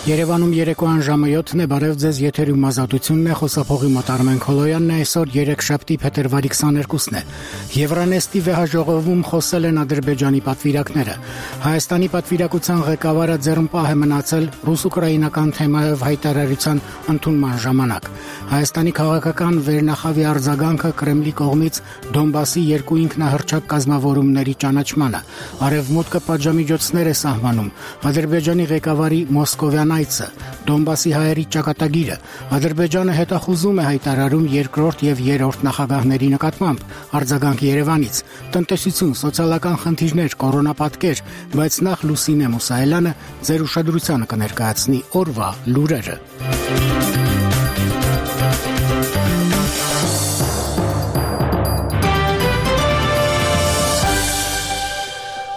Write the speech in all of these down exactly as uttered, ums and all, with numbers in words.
Երևանում երեկոյան ժամը յոթն է, բարև ձեզ, եթերում ազատությունն է, խոսափողի մոտ Արմեն Քոլոյանն է, այսօր երեքշաբթի փետրվարի քսաներկուսն է։ Եվրանեստի վեհաժողովում խոսել են Ադրբեջանի պատվիրակները։ Հայաստանի պատվիրակության ղեկավարը ձեռնպահ է մնացել ռուս-ուկրաինական թեմայով հայտարարության ընդունման ժամանակ։ Հայաստանի քաղաքական վերնախավի արձագանքը Կրեմլի կողմից Դոնբասի երկու ինքնահռչակ կազմավորումների ճանաչմանը։ Արևմուտքը պատժամիջոցներ է սահմանում։ Ադրբեջանի ղեկավարի մոսկովյան այցը, Դոնբասի հայերի ճակատագիրը, Ադրբեջանը հետախուզում է հայտարարում երկրորդ եւ երրորդ նախագահների նկատմամբ, արձագանք Երևանից, տնտեսություն, սոցիալական խնդիրներ, կորոնապատկեր, բայց նախ Լուսինե Մուսայելյանը ձեր ուշադրությանը կներկայացնի օրվա լուրերը։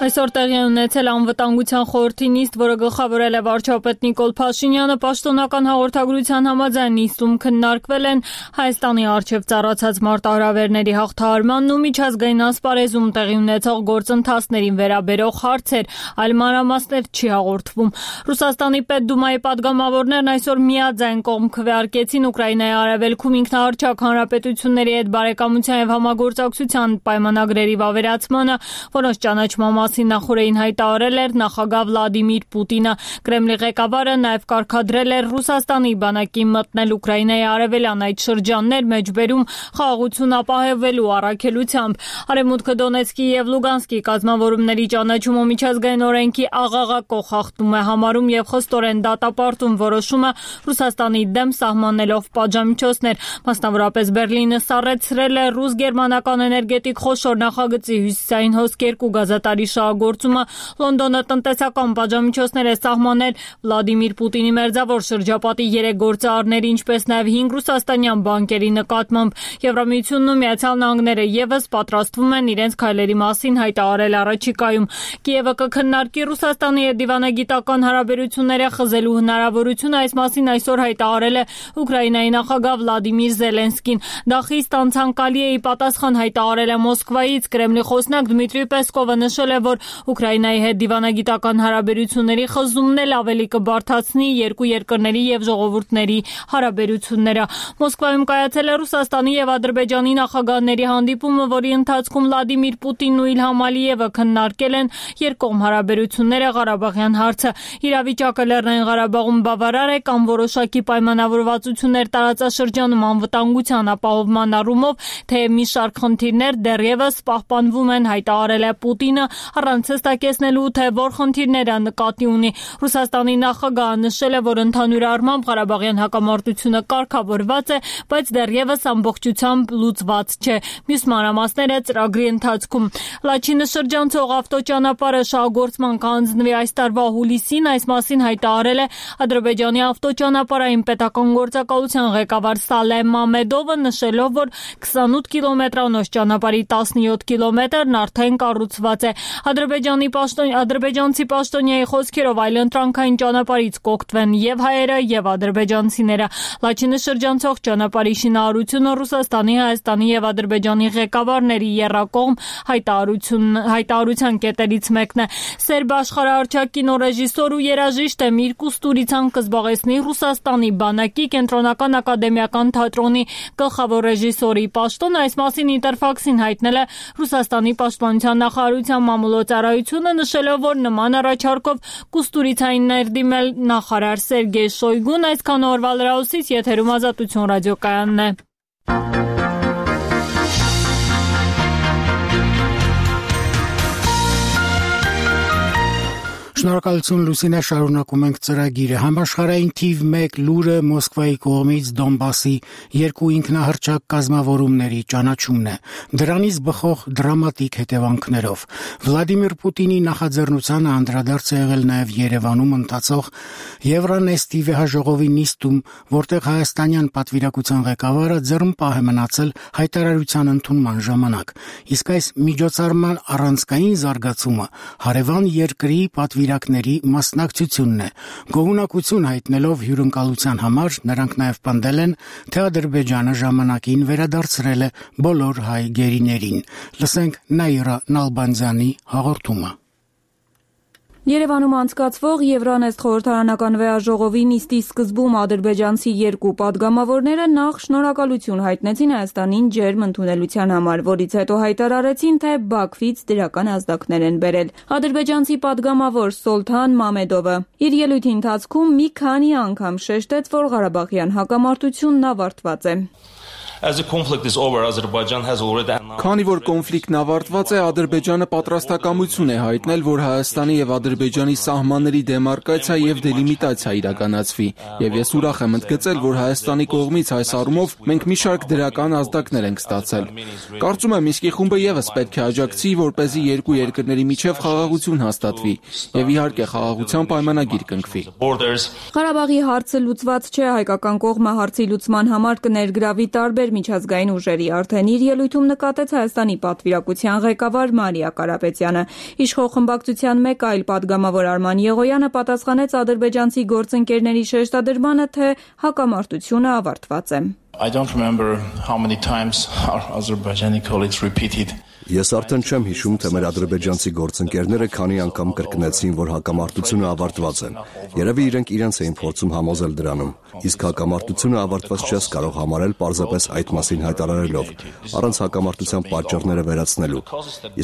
Այսօր տեղի է ունեցել անվտանգության խորհրդի նիստ, որը գլխավորել է վարչապետ Նիկոլ Փաշինյանը, պաշտոնական հաղորդագրության համաձայն նիստում քննարկվել են Հայաստանի առջև ծառացած մարտահրավերների հաղթահարմանն ու միջազգային ասպարեզում տեղի ունեցող գործընթացներին վերաբերող հարցեր, այլ մանրամասներ չի հաղորդվում։ Ռուսաստանի Պետդումայի պատգամավորներն այսօր միաձայն կողմ քվեարկեցին Ուկրաինայի արևելքում ինքնահռչակ հանրապետությունների հետ բարեկամության եւ համագործակցության պայմանագրերի վավերացմանը, որոնց ճանաչման նախորդին հայտարարել էր նախագահ Վլադիմիր Պուտինը։ Կրեմլի ղեկավարը նաև կարգադրել էր Ռուսաստանի բանակի մտնել Ուկրաինայի արևելյան այդ շրջաններ մեջբերում խաղաղություն ապահովելու առաքելությամբ։ Արևմուտքը Դոնեցկի եւ Լուգանսկի կազմավորումների ճանաչումը միջազգային օրենքի աղաղակող խախտում է համարում եւ խստորեն դատապարտում որոշումը Ռուսաստանի դեմ սահմանելով պատժամիջոցներ։ Մասնավորապես Բերլինը սառեցրել է ռուս-գերմանական էներգետիկ խոշոր նախագծի հյուսիսային հոսք երկու գազատարի շահագործումը, Լոնդոնը տնտեսական պատժամիջոցներ է սահմանել Վլադիմիր Պուտինի մերձավոր շրջապատի երեք գործարարների, ինչպես նաև հինգ ռուսաստանյան բանկերի նկատմամբ։ Եվրամիությունն ու Միացյալ Նահանգները եւս պատրաստվում են իրենց քայլերի մասին հայտարարել առաջիկայում։ Կիևը կքննարկի Ռուսաստանի հետ դիվանագիտական հարաբերությունները խզելու հնարավորությունը, այս մասին այսօր հայտարարել է Ուկրաինայի նախագահ Վլադիմիր Զելենսկին։ Դա խիստ անցանկալի է, ի պատասխան հայտարարել է Մոսկվայից։ Կրեմլի խոսնակ Դմիտրի Պեսկովը նշել է, որ Ուկրաինայի հետ դիվանագիտական հարաբերությունների խզումն էլ ավելի կբարդացնի երկու երկրների եւ ժողովուրդների հարաբերությունները։ Մոսկվայում կայացել է Ռուսաստանի եւ Ադրբեջանի նախագահների հանդիպումը, որի ընթացքում Վլադիմիր Պուտինն ու Իլհամ Ալիևը քննարկել են երկկողմ հարաբերությունները, Ղարաբաղյան հարցը։ Իրավիճակը Լեռնային Ղարաբաղում բավարար է կամ որոշակի պայմանավորվածություններ տարածաշրջանում անվտանգության ապահովման առումով, թե մի շարք խնդիրներ դեռևս պահպանվում են, հայտարարել է Պուտինը, առանց հստակեցնելու, թե որ խնդիրները նկատի ունի։ Ռուսաստանի նախագահը նշել է, որ ընդհանուր առմամբ Ղարաբաղյան հակամարտությունը կարգավորված է, բայց դեռևս ամբողջությամբ լուծված չէ։ Մյուս մանրամասները ծրագրի ընթացքում։ Լաչինը շրջանցող ավտոճանապարհը շահագործման կհանձնվի այս տարվա հուլիսին, այս մասին հայտարարել է Ադրբեջանի ավտոճանապարհային պետական գործակալության ղեկավար Սալեհ Մամեդովը, նշելով, որ քսանութ կիլոմետրանոց ճանապարհի տասնյոթ կիլոմետրն արդեն կառուցված է։ Ադրբեջանի պաշտոն ադրբեջանցի պաշտոնյայի խոսքերով այլընտրանքային ճանապարհից կօգտվեն եւ հայերը եւ ադրբեջանցիները։ Լաչինը շրջանցող ճանապարհի շինարարությունը Ռուսաստանի, Հայաստանի եւ Ադրբեջանի ղեկավարների եռակողմ հայտարարություն հայտարարության կետերից մեկն է։ Սերբ աշխարհահռչակ կինոռեժիսոր ու երաժիշտ Էմիր Կուստուրիցան կզբաղեցնի Ռուսաստանի բանակի կենտրոնական ակադեմիական թատրոնի գլխավոր ռեժիսորի պաշտոնը։ Այս մասին Ինտերֆաքսին հայտնել է Ռուսաստանի պաշտպանության նախարարության մամուլոցարայությունը, նշելով, որ նման առաջարկով Կուստուրիցային ներդիմել նախարար Սերգեյ Շոյգուն։ Այսքան օրվա լրահոսից եթերում Ազատություն ռադիոկայանն է։ Շնորհակալություն Լուսինե, շարունակում ենք ծրագիրը։ Համաշխարհային թիվ մեկ լուրը Մոսկվայի կողմից Դոնբասի երկու ինքնահռչակ կազմավորումների ճանաչումն է։ Դրանից բխող դրամատիկ հետևանքներով։ Վլադիմիր Պուտինի նախաձեռնությանը անդրադարձ է եղել նաև Երևանում ընթացող Եվրանեստի վեհաժողովի նիստում, որտեղ հայաստանյան պատվիրակության ղեկավարը ձեռնպահ է մնացել հայտարարության ընդունման ժամանակ։ Իսկ այս միջոցառման առանցքային զարգացումը հարևան երկրի պատվիրակների մասնակցությունն է։ Գոհունակություն հայտնելով հյուրընկալության համար նրանք նաև պնդել են, թե Ադրբեջանը ժամանակին վերադարձրել է բոլոր հայ գերիներին։ Լսենք Նաիրա Նալբանդյանի հաղորդումը։ Երևանում անցկացվող Եվրանեստ խորհրդարանական վեհաժողովի նիստի սկզբում ադրբեջանցի երկու պատգամավորները նախ շնորհակալություն հայտնեցին Հայաստանին ջերմ ընդունելության համար, որից հետո հայտարարեցին, թե Բաքվից դրական ազդակներ են բերել։ Ադրբեջանցի պատգամավոր Սոլթան Մամեդովը իր ելույթի ընթացքում մի քանի անգամ շեշտեց, որ Ղարաբաղյան հակամարտությունն ավարտված է։ Քանի որ կոնֆլիկտն ավարտված է, Ադրբեջանը պատրաստակամություն է հայտնել, որ Հայաստանի եւ Ադրբեջանի սահմանների դեմարկացիա եւ դելիմիտացիա իրականացվի, եւ ես ուրախ եմ ընդգծել, որ Հայաստանի կողմից այս առումով մենք մի շարք դրական ազդակներ ենք ստացել։ Կարծում եմ, Մինսկի խումբը եւս պետք է աջակցի, որպեսզի երկու երկրների միջև խաղաղություն հաստատվի եւ իհարկե խաղաղության պայմանագիր կնքվի։ Ղարաբաղի հարցը լուծված չէ, հայկական կողմը հարցի լուծման համար կներգրավի տարբեր միջազգային ուժերի, արդեն իր ելույթում նկատեց Հայաստանի պատվիրակության ղեկավար Մարիա Կարապետյանը։ Իշխող խմբակցության մեկ այլ պատգամավոր Արման Եղոյանը պատասխանեց ադրբեջանցի գործընկերների շեշտադրմանը, թե հակամարտությունը ավարտված է։ I don't remember how many times our Azerbaijani colleagues repeated. Ես արդեն չեմ հիշում, թե մեր ադրբեջանցի գործընկերները քանի անգամ կրկնեցին, որ հակամարտությունը ավարտված է։ Երևի իրենք իրենց էին փորձում համոզել դրանում։ Իսկ հակամարտությունը ավարտված չես կարող համարել պարզապես այդ մասին հայտարարելով, առանց հակամարտության պատճառները վերացնելու։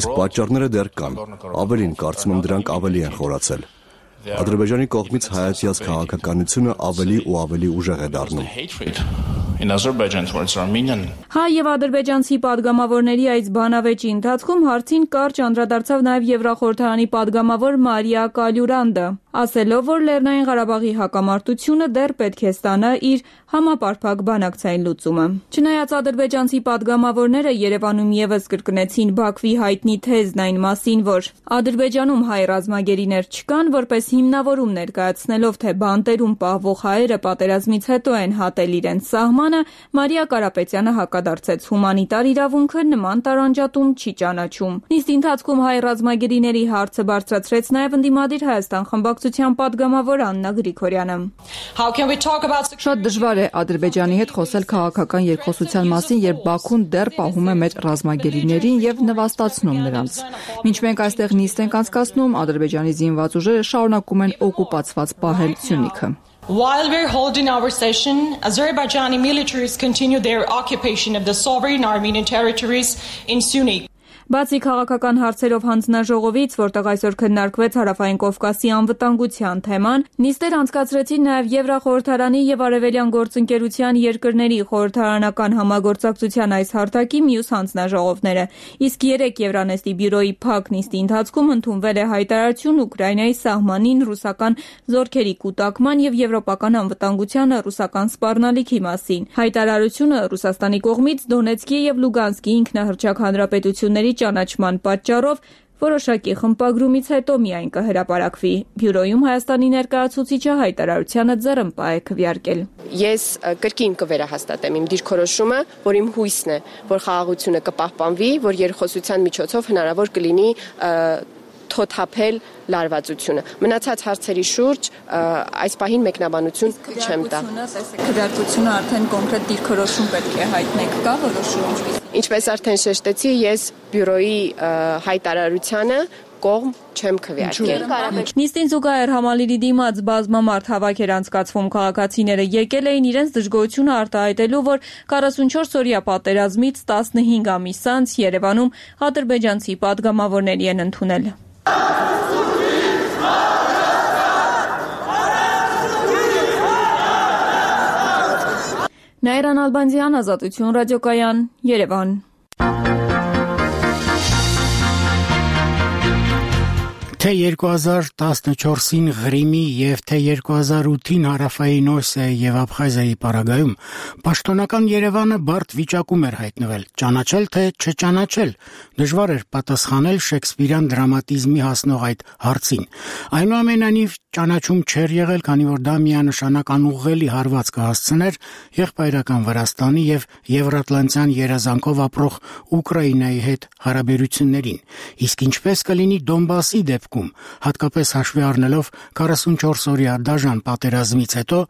Իսկ պատճառները դեռ կան։ Ավելին, կարծում եմ, դրանք ավելի են խորացել։ Ադրբեջանի կողմից հայացյաց քաղաքականությունը ավելի ու ավելի ուժեղ է դառնում։ In Azerbaijan towards Armenian. Հայ եւ ադրբեջանցի պատգամավորների այս բանավեճի ընթացքում հարցին կարճ անդրադարձավ նաեւ Եվրախորհրդարանի պատգամավոր Մարիա Կալյուրանդը, ասելով, որ Լեռնային Ղարաբաղի հակամարտությունը դեռ պետք է ստանա իր համապարփակ բանակցային լուծումը։ Չնայած ադրբեջանցի պատգամավորները Երևանում եւս կրկնեցին Բաքվի հայտնի թեզն այն մասին, որ Ադրբեջանում հայ ռազմագերիներ չկան, որպես հիմնավորում ներկայացնելով, թե բանտերում պահվող հայերը պատերազմից հետո են հատել իրենց սահմանը, Մարիա Կարապետյանը հակադարձեց հումանիտար իրավունքը նման տարանջատում չի ճանաչում։ Նիստի ընթացքում հայ ռազմագերիների հարցը բարձրացրեց նաև ընդդիմադիր Հայաստան խմբակցության պատգամավոր Աննա Գրիգորյանը։ Շատ դժվար է Ադրբեջանի հետ խոսել քաղաքական երկխոսության մասին, երբ Բաքուն դեռ պահում է մեր ռազմագերիներին եւ նվաստացնում նրանց։ Մինչ մենք այստեղ նիստ ենք անցկացնում, Ադրբեջանի զինված ուժերը շարունակում են օկուպացված պահել Սյունիքը։ While we're holding our session, Azerbaijani militaries continue their occupation of the sovereign Armenian territories in Syunik. Բացի քաղաքական հարցերով հանձնաժողովից, որտեղ այսօր քննարկվեց Հարավային Կովկասի անվտանգության թեման, նիստեր անցկացրեցին նաև Եվրախորհրդարանի եւ Արևելյան գործընկերության երկրների խորհրդարանական համագործակցության այս հարթակի մյուս հանձնաժողովները։ Իսկ երեք Եվրանեստի բյուրոյի փակ նիստի ընթացքում ընդունվել է հայտարարություն Ուկրաինայի սահմանին ռուսական զորքերի կուտակման եւ եվրոպական անվտանգությանը ռուսական սպառնալիքի մասին։ Հայտարարությունը Ռուսաստանի կողմից Դոնեցկի եւ Լուգանսկի ինքնահռչակ հանրապետությունների ճանաչման պատճառով որոշակի խմբագրումից հետո միայն կհրապարակվի։ Բյուրոյում Հայաստանի ներկայացուցիչը հայտարարությանը ձեռնպահ է քվեարկել։ Ես կրկին կվերահաստատեմ իմ դիրքորոշումը, որ իմ հույսն է, որ խաղաղությունը կպահպանվի, որ երկխոսության միջոցով հնարավոր կլինի թոթափել լարվածությունը։ Մնացած հարցերի շուրջ այս պահին մեկնաբանություն չեմ տա։ Քվեարկությունը արդեն կոնկրետ դիրքորոշում պետք է հայտնեք, կա որոշում։ Ինչպես արդեն շեշտեցի, ես բյուրոյի հայտարարությանը կողմ չեմ քվեարկել։ Նիստին զուգահեռ համալիրի դիմաց բազմամարդ հավաք էր անցկացվում, քաղաքացիները եկել էին իրենց դժգոհությունը արտահայտելու, որ քառասունչորս օրյա պատերազմից տասնհինգ ամիս անց Երևանում ադրբեջանցի պատգամավորների են ընդունել։ Նաիրան Ալբանդյան, Ազատություն ռադիոկայան, Երևան։ Թե երկու հազար տասնչորսին Ղրիմի եւ թե երկու հազար ութին Հարավային Օսիայի եւ Աբխազիայի պարագայում պաշտոնական Երևանը բարդ վիճակում էր հայտնվել, ճանաչել թե չճանաչել, դժվար էր պատասխանել շեքսպիրյան դրամատիզմի հասնող այդ հարցին։ Այնուամենայնիվ ճանաչում չէր եղել, քանի որ դա միանշանակ անուղղելի հարված կհասցներ եղբայրական Վրաստանի եւ Եվրատլանտյան երազանքով ապրող Ուկրաինայի հետ հարաբերություններին։ Իսկ ինչպես կլինի Դոնբասի դեպքում, հատկապես հաշվի առնելով քառասունչորս օրյա դաժան պատերազմից հետո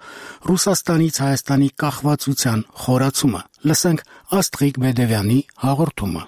Ռուսաստանից Հայաստանի կախվածության խորացումը։ Լսենք Աստղիկ Բեդևյանի հաղորդումը։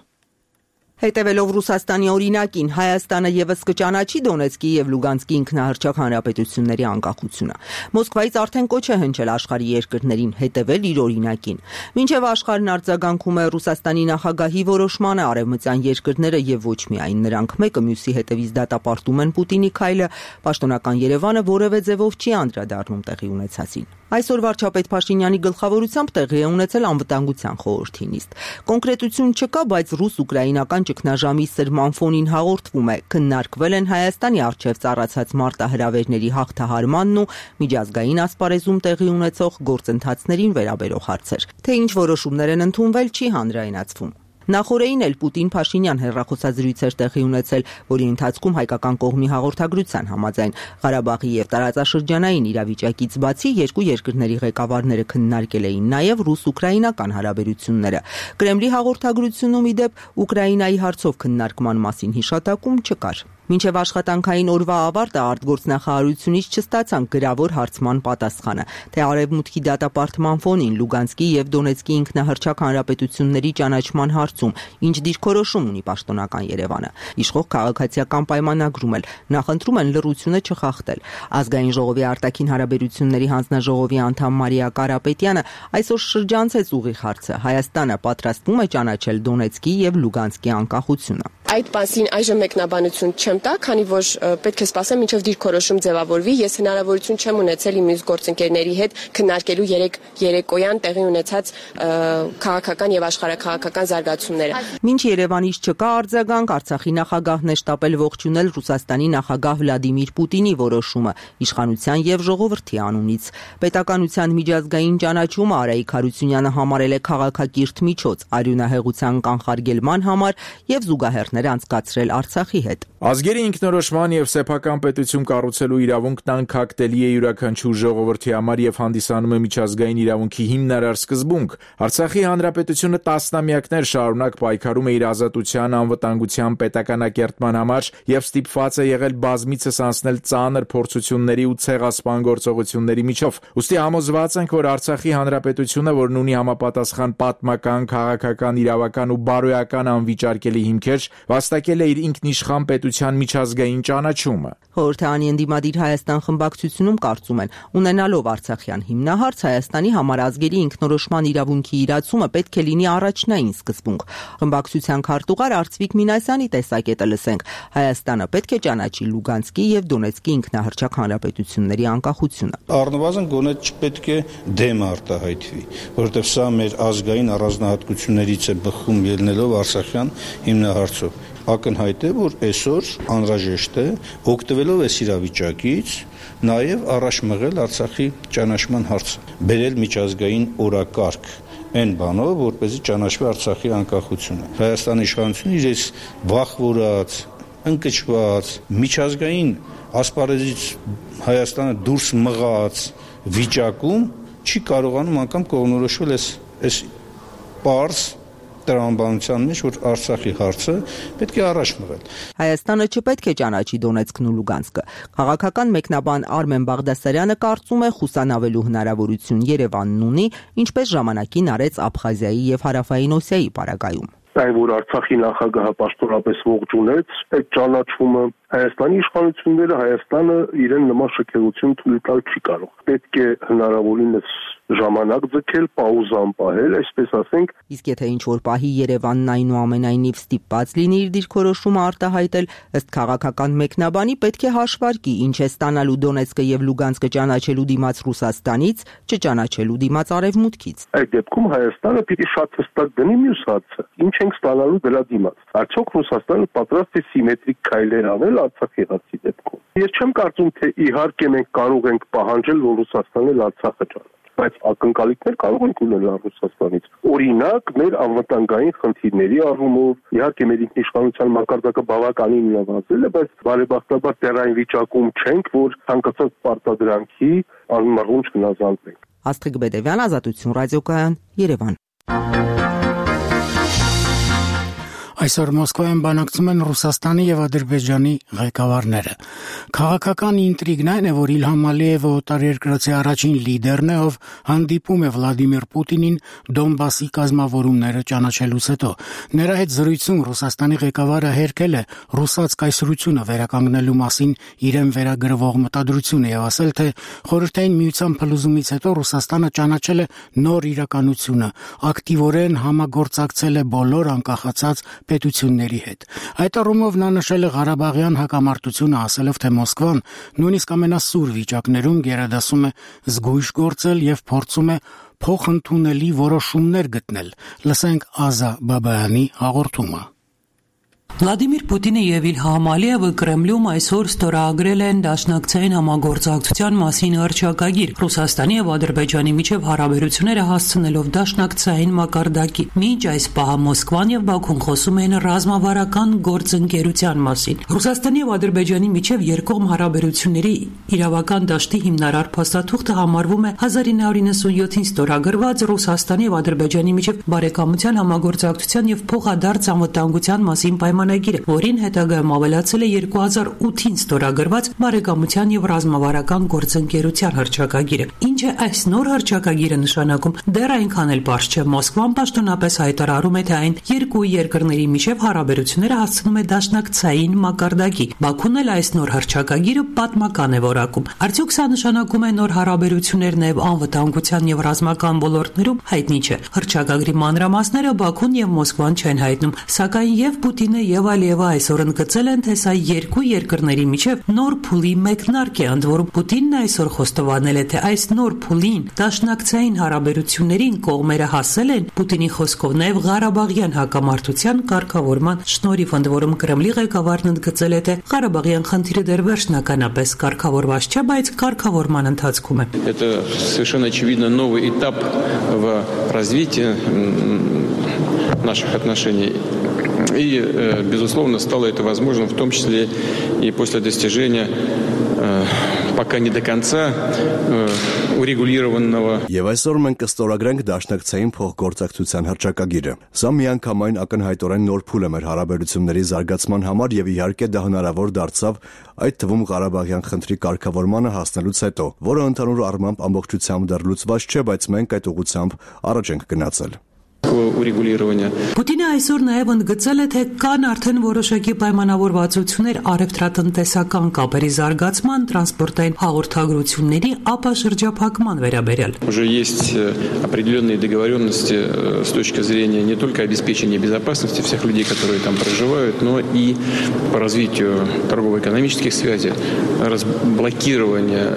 Հետևելով Ռուսաստանի օրինակին, Հայաստանը եւս կճանաչի Դոնեցկի եւ Լուգանսկի ինքնահռչակ հանրապետությունների անկախությունը։ Մոսկվայից արդեն կոչ է հնչել աշխարհի երկրներին հետևել իր օրինակին։ Մինչև աշխարհն արձագանքում է Ռուսաստանի նախագահի որոշմանը, արևմտյան երկրները եւ ոչ միայն նրանք մեկը մյուսի հետևից դատապարտում են Պուտինի քայլը, պաշտոնական Երևանը որևէ ձևով չի անդրադառնում տեղի ունեցածին։ Այսօր վարչապետ Փաշինյանի գլխավորությամբ տեղի է ունեցել անվտանգության խորհրդի նիստ։ Կոնկրետություն չկա, բայց ռուս-ուկրաինական ճգնաժամի սրման ֆոնին հաղորդվում է, քննարկվել են Հայաստանի առջև ծառացած մարտահրավերների հաղթահարմանն ու միջազգային ասպարեզում տեղի ունեցող գործընթացներին վերաբերող հարցեր։ Թե ինչ որոշումներ են ընդունվել, չի հանրայնացվում։ Նախորդին էլ Պուտին-Փաշինյան հեռախոսազրույց էր տեղի ունեցել, որի ընթացքում հայկական կողմի հաղորդագրության համաձայն Ղարաբաղի եւ տարածաշրջանային իրավիճակից բացի երկու երկրների ղեկավարները քննարկել էին նաեւ ռուս-ուկրաինական հարաբերությունները։ Կրեմլի հաղորդագրությունում ի դեպ Ուկրաինայի հարցով քննարկման մասին հիշատակում չկար։ Մինչև աշխատանքային օրվա ավարտը արտգործնախարարությունից չստացանք գրավոր հարցման պատասխանը, թե արևմուտքի դատապարտման ֆոնին Լուգանսկի եւ Դոնեցկի ինքնահռչակ հանրապետությունների ճանաչման հարցում ինչ դիրքորոշում ունի պաշտոնական Երևանը։ Իշխող քաղաքացիական պայմանագրում էլ նախընտրում են լռությունը չխախտել։ Ազգային ժողովի արտաքին հարաբերությունների հանձնաժողովի անդամ Մարիա Կարապետյանը այսօր շրջանցեց ուղիղ հարցը։ Հայաստանը պատրաստվում է ճանաչել Դոնեցկի եւ Լուգանսկի անկախությունը։ Այդ մասին այժմ մեկնաբանություն չեմ տա, քանի որ պետք է սպասեմ, մինչև դիրքորոշում ձևավորվի։ Ես հնարավորություն չեմ ունեցել իմ մյուս գործընկերների հետ քննարկելու երեք երեկոյան տեղի ունեցած քաղաքական եւ աշխարհաքաղաքական զարգացումները։ Մինչ Երևանից չկա արձագանք, Արցախի նախագահն է շտապել ողջունել Ռուսաստանի նախագահ Վլադիմիր Պուտինի որոշումը իշխանության եւ ժողովրդի անունից։ Պետականության միջազգային ճանաչումը Արայիկ Հարությունյանը համարել է քաղաքակիրթ միջոց արյունահեղության կանխարգելման համար եւ զուգահեռ անցկացրել Արցախի հետ։ Ազգերի ինքնորոշման եւ սեփական պետություն կառուցելու իրավունքն անկախտելի է յուրաքանչյուր ժողովրդի համար եւ հանդիսանում է միջազգային իրավունքի հիմնարար սկզբունք։ Արցախի հանրապետությունը տասնամյակներ շարունակ պայքարում է իր ազատության, անվտանգության, պետականակերտման համար եւ ստիպված է եղել բազմիցս անցնել ծանր փորձությունների ու ցեղասպան գործողությունների միջով։ Ուստի համոզված ենք, որ Արցախի հանրապետությունը, որն ունի համապատասխան պատմական, քաղաքական, իրավական ու բարոյական անվիճարկելի հիմքեր, վաստակել է իր ինքնիշխան պետության միջազգային ճանաչումը։ Խորհրդարանի ընդդիմադիր Հայաստան խմբակցությունում կարծում են, ունենալով Արցախյան հիմնահարց, Հայաստանի համար ազգերի ինքնորոշման իրավունքի իրացումը պետք է լինի առաջնային սկզբունք։ Խմբակցության քարտուղար Արծվիկ Մինասյանի տեսակետը լսենք։ Հայաստանը պետք է ճանաչի Լուգանսկի եւ Դոնեցկի ինքնահռչակ հանրապետությունների անկախությունը։ Առնվազն գոնե չպետք է դեմ արտահայտվի, որովհետեւ սա մեր ազգային առանձնահատկություններից է բխում ելնելով Արցախյան հիմնահարցով։ Ակնհայտ է, որ այսօր անհրաժեշտ է օգտվելով այս իրավիճակից նաև առաջ մղել Արցախի ճանաչման հարցը, բերել միջազգային օրակարգ այն բանով, որպեսզի ճանաչվի Արցախի անկախությունը։ Հայաստանի իշխանությունը իրենց վախվորած, ընկճված, միջազգային ասպարեզից Հայաստանը դուրս մղած վիճակում չի կարողանում անգամ կողմնորոշվել այս այս պարզ տրամաբանության մեջ, որ Արցախի հարցը պետք է առաջ մղել։ Հայաստանը չպետք է ճանաչի Դոնեցկն ու Լուգանսկը։ Քաղաքական մեկնաբան Արմեն Բաղդասարյանը կարծում է խուսանավելու հնարավորություն Երևանն ունի, ինչպես ժամանակին արեց Աբխազիայի եւ Հարավային Օսիայի պարագայում։ Այն որ Արցախի նախագահը պաշտոնապես ողջունեց, այդ ճանաչումը Հայաստանի իշխանությունները Հայաստանը իրեն նման շքեղություն թույլ տալ չի կարող։ Պետք է հնարավորինս ժամանակ ձգել, պաուզան պահել, այսպես ասենք։ Իսկ եթե ինչ-որ պահի Երևանն այնուամենայնիվ ստիպված լինի իր դիրքորոշումը արտահայտել, ըստ քաղաքական մեկնաբանի պետք է հաշվարկի, ինչ է ստանալու Դոնեցկը եւ Լուգանսկը ճանաչելու դիմաց Ռուսաստանից, չճանաչելու դիմաց Արևմուտքից։ Այդ դեպքում Հայաստանը պիտի շատ հստակ դնի մյուս հարցը. ինչ ենք ստանալու դրա դիմաց։ Արդյոք Ռուսաստանը պատրաստ է սիմետրիկ քայլեր անել Արցախի հարցի դեպքում։ Ես չեմ կարծում, թե իհարկե մենք կարող ենք պահանջել, որ Ռուսաստանը Արցախը ճանաչի, բայց ակնկալիքներ կարող ենք ունենալ Ռուսաստանից։ Օրինակ, մեր անվտանգային խնդիրների առումով, իհարկե մեր ինքնիշխանության մակարդակը բավականին նվազել է, բայց բարեբախտաբար դեռ այն վիճակում չենք, որ ցանկացած պարտադրանքի անմռունչ գնահատենք։ Աստղիկ Բեդևյան, Ազատություն ռադիոկայան, Երևան։ Այսօր Մոսկվայում բանակցում են Ռուսաստանի եւ Ադրբեջանի ղեկավարները։ Քաղաքական ինտրիգն այն է, որ Իլհամ Ալիևը օտարերկրացի առաջին լիդերն է, ով հանդիպում է Վլադիմիր Պուտինին Դոնբասի կազմավորումները ճանաչելուց հետո։ Նրա հետ զրույցում Ռուսաստանի ղեկավարը հերքել է ռուսաց կայսրությունը վերականգնելու մասին իրեն վերագրվող մտադրությունը եւ ասել, թե Խորհրդային Միության փլուզումից հետո Ռուսաստանը ճանաչել է նոր իրականությունը, ակտիվորեն համագործակցել է բոլոր անկախացած պետությունների հետ։ Այդ առումով նա նշել է Ղարաբաղյան հակամարտությունը, ասելով, թե Մոսկվան նույնիսկ ամենասուր վիճակներում գերադասում է զգույշ գործել եւ փորձում է փոխընդունելի որոշումներ գտնել։ Լսենք Ազա Բաբայանի հաղորդումը։ Վլադիմիր Պուտինը եւ Իլհամ Ալիևը Կրեմլում այսօր ստորագրել են դաշնակցային համագործակցության մասին հռչակագիր Ռուսաստանի եւ Ադրբեջանի միջև հարաբերությունները հասցնելով դաշնակցային մակարդակի։ Մինչ այս պահը Մոսկվան եւ Բաքուն խոսում են ռազմավարական գործընկերության մասին։ Ռուսաստանի եւ Ադրբեջանի միջև երկկողմ հարաբերությունների իրավական դաշտի հիմնարար փաստաթուղթը համարվում է հազար ինը հարյուր նվաթ յոթին ստորագրված Ռուսաստանի եւ Ադրբեջանի միջև բարեկամության համագործակցության եւ փոխադարձ անվտանգության մասին պայմանագիրը, որին հետագայում ավելացել է երկու հազար ութին ստորագրված բարեկամության եւ ռազմավարական գործընկերության հռչակագիրը։ Ինչ է այս նոր հռչակագիրը նշանակում, դեռ այնքան էլ պարզ չէ։ Մոսկվան պաշտոնապես հայտարարում է, թե այն երկու երկրների միջև հարաբերությունները հասցնում է դաշնակցային մակարդակի։ Բաքուն էլ այս նոր հռչակագիրը պատմական է որակում։ Արդյոք սա նշանակում է նոր հարաբերություններ նաեւ անվտանգության եւ ռազմական ոլորտներում, հայտնի չէ։ Հռչակագրի մանրամասները Բաքուն եւ Մոսկվան չեն հայտնում, սակայն եւ Պուտինը եւ Ալիևը այսօր ընդգծել են, թե սա երկու երկրների միջև նոր փուլի մեկնարկ է, ընդ որում Պուտինն այսօր խոստովանել է, թե այս նոր փուլին դաշնակցային հարաբերություններին կողմերը հասել են Պուտինի խոսքով նաեւ Ղարաբաղյան հակամարտության կարգավորման շնորհիվ, ընդ որում Կրեմլի ղեկավարն ընդգծել է, թե Ղարաբաղյան խնդիրը դեռ վերջնականապես կարգավորված չէ, բայց կարգավորման ընթացքում է։ Это совершенно очевидно новый этап в развитии наших отношений. И, безусловно, стало это возможным, в том числе и после достижения пока не до конца урегулированного. Եվ այսօր մենք կստորագրենք դաշնակցային փոխգործակցության հռչակագիրը։ Սա միանգամայն ակնհայտորեն նոր փուլ է մեր հարաբերությունների զարգացման համար եւ իհարկե դա հնարավոր дարձավ այդ թվում Ղարաբաղյան խնդրի կարգավորմանը հասնելուց հետո, որը ընդհանուր առմամբ ամբողջությամբ դեռ լուծված չէ, բայց մենք այդ ուղղությամբ առաջ ենք գնացել։ Պուտինը այսօր նաև ընդգծել է, թե կան արդեն որոշակի պայմանավորվածություններ առևտրատնտեսական կապերի զարգացման, տրանսպորտային հաղորդագրությունների, ապա շրջափակման վերաբերյալ։ Уже есть определенные договоренности с точки зрения не только обеспечения безопасности всех людей, которые там проживают, но и по развитию торгово-экономических связей, разблокирования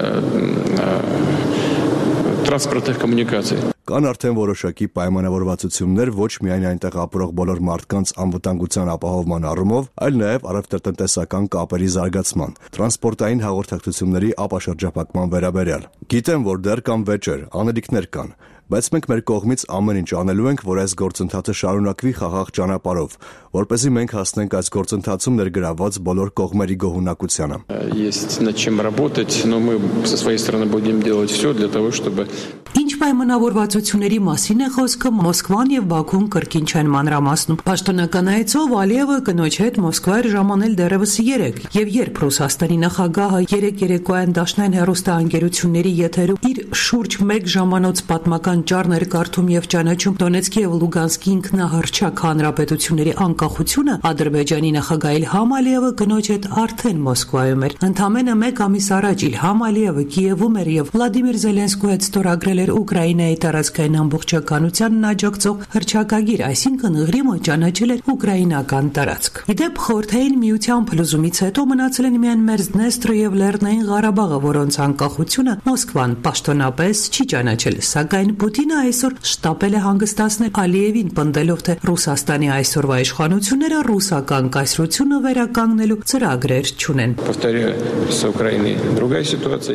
տրանսպորտային կոմունիկացիա։ Կան արդեն որոշակի պայմանավորվածություններ ոչ միայն այնտեղ ապրող բոլոր մարդկանց անվտանգության ապահովման առումով, այլ նաև առևտրատնտեսական կապերի զարգացման, տրանսպորտային հաղորդակցությունների ապաշրջափակման վերաբերյալ։ Գիտեմ, որ դեռ կան վեճեր, անելիքներ կան, բայց մենք մեր կողմից ամեն ինչ անելու ենք, որ այս գործընթացը շարունակվի խաղաղ ճանապարհով, որպեսզի մենք հասնենք այս գործընթացում ներգրավված բոլոր կողմերի գոհունակությանը։ Есть над чем работать, но мы со своей стороны будем делать все для того, чтобы Ինչ պայմանավորվածությունների մասին է խոսքը, Մոսկվան եւ Բաքուն կրկին չեն մանրամասնում։ Պաշտոնական այցով Ալիևը կնոջ հետ Մոսկվա էր ժամանել դեռևս երեկ, եւ երբ Ռուսաստանի նախագահը երեկ երեկոյան դաշնային հեռուստաընկերությունների եթերում իր շուրջ մեկ ժամանոց պատմական ճառներ կարդում եւ ճանաչում Դոնեցկի եւ Լուգանսկի ինքնահռչակ հանրապետությունների անկախությունը, Ադրբեջանի նախագահ Իլհամ Ալիևը կնոջ հետ արդեն Մոսկվայում էր։ Ընդամենը մեկ ամիս առաջ Իլհամ Ալիևը Կիևում էր եւ Վլադիմիր Զելենսկու հետ ստորագրել էր Ուկրաինայի տարածքային ամբողջականությանն աջակցող հռչակագիր, այսինքն Ղրիմը ճանաչել էր ուկրաինական տարածք։ Իդեպ Խորհրդային Միության փլուզումից հետո մնացել են միայն Մերձդնեստրը եւ Լեռնային Ղարաբաղը, որոնց անկախությունը Մոսկվան պաշտոնապես չի ճանաչել, սակայն Պուտինը այսօր շտապել է հանգստացնել Ալիևին, պնդելով, թե Ռուսաստանի այսօրվա իշխանությունները ռուսական կայսրությունը վերականգնելու ծրագրեր չունեն։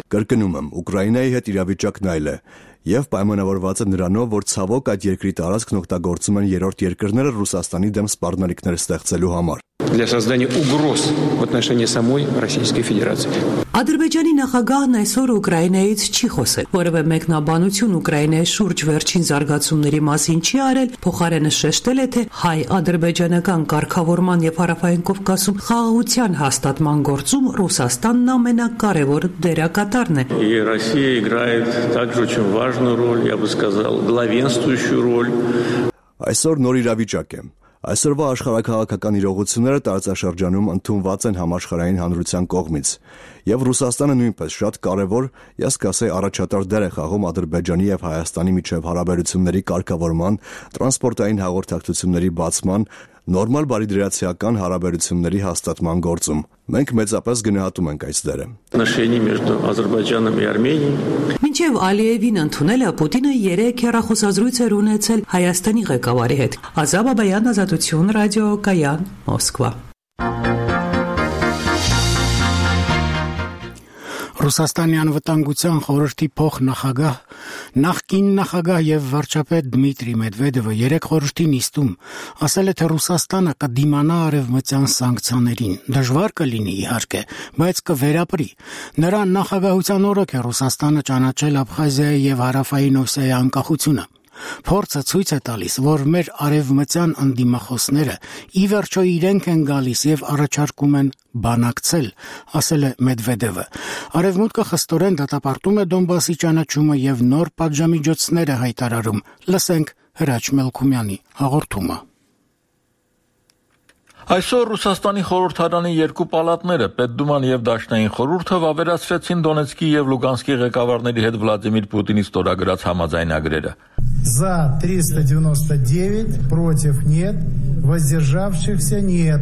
Կրկնում եմ, Ուկրաինայի հետ իրավիճակն այլ է եւ պայմանավորված է նրանով, որ ցավոք այդ երկրի տարածքն օգտագործում են երրորդ երկրները Ռուսաստանի դեմ սպառնալիքներ ստեղծելու համար։ для создания угроз в отношении самой Российской Федерации. Ադրբեջանի նախագահն այսօր Ուկրաինայից չի խոսել, որևէ մեկնաբանություն Ուկրաինայի շուրջ վերջին զարգացումների մասին չի արել, փոխարենը շեշտել է, թե հայ-ադրբեջանական կարգավորման եւ Հարավային Կովկասում խաղաղության հաստատման գործում Ռուսաստանն ամենակարևոր դերակատարն է։ И Россия играет также очень важную роль, я бы сказал, главенствующую роль. Այսօր նոր իրավիճակ է։ Այսօրվա աշխարհակաղակական իրողությունները տարածաշրջանում ընդունված են համաշխարհային հանրության կողմից, եւ Ռուսաստանը նույնպես շատ կարեւոր, ես կասեի, առաջատար դեր է խաղում Ադրբեջանի եւ Հայաստանի միջև հարաբերությունների կարգավորման, տրանսպորտային հաղորդակցությունների բացման, նորմալ բարիդրացիական հարաբերությունների հաստատման գործում։ Մենք մեծապես գնահատում ենք այս դերը։ Отношения между Азербайджаном и Арменией. Մինչև Ալիևին ընդունելը Պուտինը երեք հեռախոսազրույց էր ունեցել Հայաստանի ղեկավարի հետ։ Ազատ Բաբայան, Ազատություն ռադիոկայան, Մոսկվա։ Ռուսաստանի անվտանգության խորհրդի փոխնախագահ, նախկին նախագահ եւ վարչապետ Դմիտրի Մեդվեդևը երեք խորհրդի նիստում ասել է, թե Ռուսաստանը կդիմանա արևմտյան սանկցիաներին։ Դժվար կլինի իհարկե, բայց կվերապրի։ Նրա նախագահության օրոք է Ռուսաստանը ճանաչել Աբխազիայի եւ Հարավային Օսիայի անկախությունը։ Փորձը ցույց է տալիս, որ մեր արևմտյան անդիմախոսները ի վերջո իրենք են գալիս եւ առաջարկում են բանակցել, ասել է Մեդվեդևը։ Արևմուտքը խստորեն դատապարտում է Դոնբասի ճանաչումը եւ նոր պատժամիջոցներ է հայտարարում։ Լսենք Հրաչ Մելքումյանի հաղորդումը։ Այսօր Ռուսաստանի խորհրդարանի երկու պալատները, Պետդուման եւ Դաշնային խորհուրդը վավերացրեցին Դոնեցկի եւ Լուգանսկի ղեկավարների հետ Վլադիմիր Պուտինի ստորագրած համաձայնագրերը։ За триста девяносто девять, против нет, воздержавшихся нет.